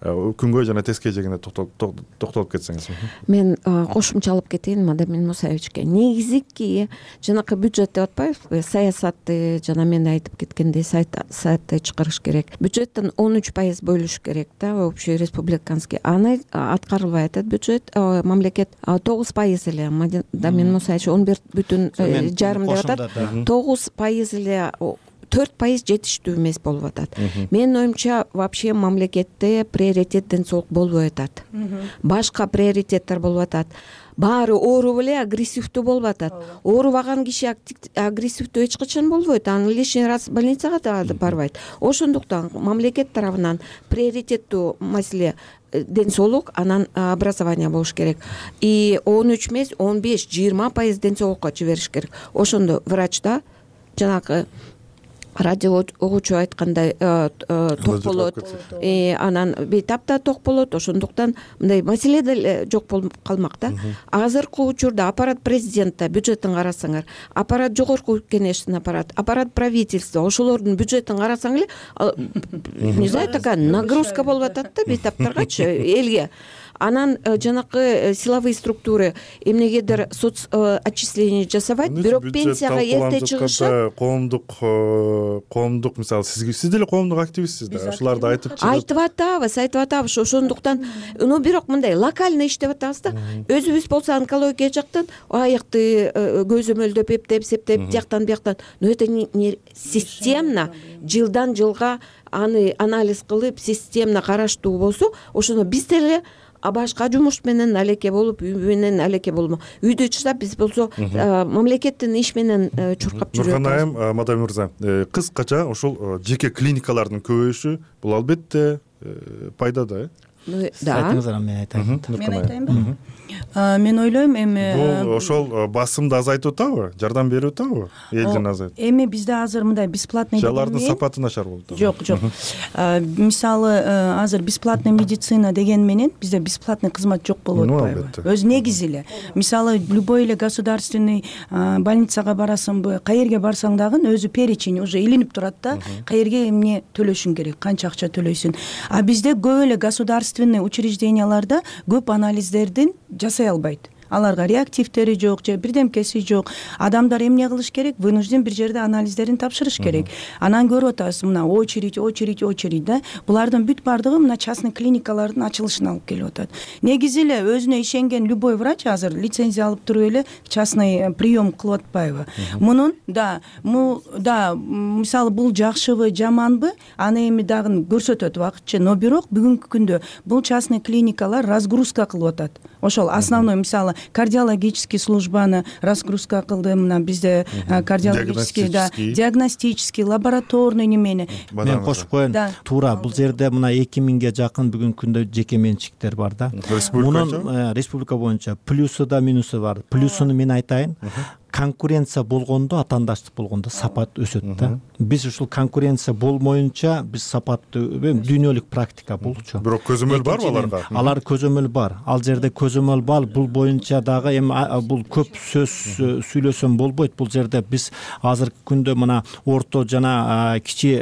күнгөй жана тескей жегине токтолуп кетсеңиз. Мен кошумчалап кетейин Мадамин Мусаевичке. Негизги жанакы бюджет деп атпайбызбы, саясатты жана мен айтып кеткендей сайтты чыгарыш керек. Бюджеттен 13% бөлүш керек да, общий республиканский. Аны аткарылбай атат бюджет, мамлекет 9% эле. Мадамин Мусаевич 11,5 деп атат. 9% эле 4% жетиштүү эмес болуп атат. Менин оюмча вообще мамлекетте приоритет ден соолук болбой атат. Башка приоритеттер болуп атат. Баары ооруп эле агрессивдүү болуп атат. Оорубаган киши агрессивдүү эч качан болбойт. Аны лишний раз больницага да барбайт. Ошондуктан мамлекет тарабынан приоритеттүү маселе ден соолук, анан образование болуш керек. И 13 эмес, 15-20% ден соолукка жибериш керек. Ошондо врачта жанагы радио угуучу айткандай ток болот, анан бейтапта ток болот. Ошондуктан мындай маселе деле жок болуп калмак да. Азыркы учурда аппарат президентте бюджеттин карасаңар, аппарат жогорку кеңештин аппарат правительства, ошолордун бюджеттин карасаң эле, не знаю, такая нагрузка болуп атат да бейтаптаргачы, элге. Анан жанакы силовые структуры эмнегедир соц отчисление жасабайт, бирок пенсияга эрте чыгышат. Коомдук, мисалы, сиз деле коомдук активистсиз да, ошолорду айтып айтып ошондуктан, бирок мындай локально иштеп атабыз да. Өзүбүз болсо онкология жактан аякты көзөмөлдөп, эптеп, септеп, тияктан бияктан, это не системно, жылдан жылга аны анализ кылып, системно караштуу болсо, ошондо биз деле башка жумуш менен алеке болуп, үй менен алеке болмо. Үйдө чыгсап биз болсо мамлекеттин иш менен чуркап жүрөбүз. Нуркан айым, Мадам мырза, кыскача ошол жеке клиникалардын көбөйүшү бул албетте пайда да, айтыңыздар, мен айтайын. Мен айтайынбы? Мен ойлойм, эми бул ошол басымды азайтып атабы, жардам берип атабы элдин азайтып? Эми бизде азыр мындай бесплатный дегенмен алардын сапаты начар болду. Жок. Мисалы азыр бесплатный медицина деген менен бизде бесплатный кызмат жок болуп атпайбы? Өзү негизи эле. Мисалы любой эле государственный больницага барасыңбы, каерге барсаң дагы өзү перечень уже илинип турат да, каерге эмне төлөшүң керек, канча акча төлөйсүң. А бизде көп эле государственный учрежденияларда көп анализдердин жасай албайт. аларга реактивдери жок же бирдемкеси жок. Адамдар эмне кылыш керек? Вынужден бир жерде анализдерин тапшырыш керек. Анан көрүп атасыз мына очередь да. Булардын бүт бардыгы мына частный клиникалардын ачылышына алып келип атат. Негизи эле өзүнө ишенген любой врач азыр лицензия алып туруп эле частный прием кылып атпайбы? Мунун мисалы бул жакшыбы, жаманбы, аны эми дагы көрсөтөт убакытчы, но бирок бүгүнкү күндө бул частный клиникалар разгрузка кылып атат. Ошол основной мисалы кардиологический службаны разгрузка кылды, мына бизде кардиологический, диагностический, лабораторный немени. Мен кошуп коеюн. Туура, бул жерде мына 2000ге жакын бүгүнкү күндө жеке менчиктер бар да. Мунун республика боюнча плюсу да минусу бар. Плюсуну мен айтайын. Конкуренция болгондо, атаандаштык болгондо сапат өсөт да. Биз ушул конкуренция болмоюнча биз сапатты дүйнөлүк практика болчу. Бирок көзөмөл барбы аларга? Алар көзөмөл бар. Ал жерде көзөмөл бар. Бул боюнча дагы эми бул көп сөз сүйлөсөм болбойт. Бул жерде биз азыркы күндө мына орто жана кичи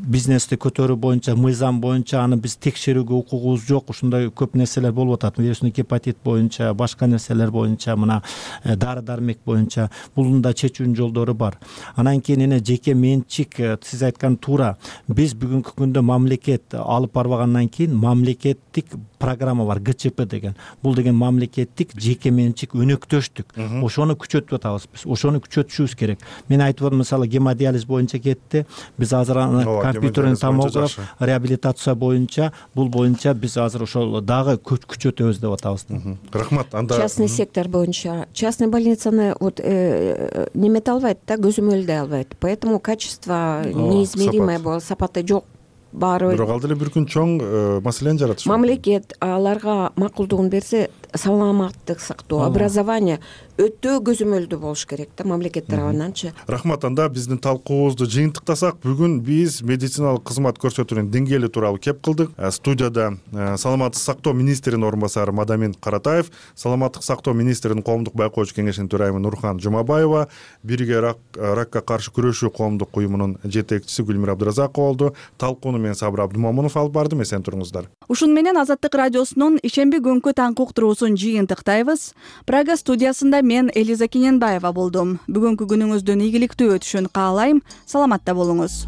бизнести көтөрүү боюнча, мыйзам боюнча аны биз текшерүүгө укугубуз жок. Ушундай көп нерселер болуп атат. Вирусный гепатит боюнча, башка нерселер боюнча, мына дары-дармек боюнча булдун да чечүүнүн жолдору бар. Анан кийин эне жеке менчик, сиз айткан туура. Биз бүгүнкү күндө мамлекет алып барбагандан кийин мамлекеттик программа бар, ГЧП деген. Бул деген мамлекеттик жеке менчик өнөктөштүк. Ошону күчөтүп атабыз биз. Ошону күчөтүшүбүз керек. Мен айтып атам, мисалы гемодиализ боюнча кетти. Биз азыр компьютерный томограф, реабилитация боюнча, бул боюнча биз азыр ошол дагы күчөтөбүз деп атабыз. Рахмат. Анда частный сектор боюнча частный больницаны вот немете албайт да, көзөмөлдөй албайт. Поэтому качество неизмеримое болот, сапаты жок. Бирок ал деле бир күн чоң маселени жаратыш. Мамлекет аларга макулдугун берсе, саламаттык сактоо, образование өтө көзөмөлдүү болуш керек да мамлекет тарабынанчы. Рахмат. Анда биздин талкуубузду жыйынтыктасак, бүгүн биз медициналык кызмат көрсөтүүнүн деңгээли тууралуу кеп кылдык. Студияда саламаттык сактоо министринин орун басары Мадамин Каратаев, саламаттык сактоо министринин коомдук байкоочу кеңешинин төрайымы Нурхан Жумабаева, бирге ракка каршы күрөшүү коомдук уюмунун жетекчиси Гүлмира Абдыразакова болду. Талкууну мен Сабыр Абдымомунов алып бардым. Эсен туруңуздар. Ушун менен Азаттык радиосунун ишемби күnkү таңкы уктуруусун жыйынтыктайбыз. Прага студиясында мен Элиза Кененбаева болдум. Бүгүнкү күнүңүздүн ийгиликтүү өтүшүн каалайм. Саламатта болуңуз.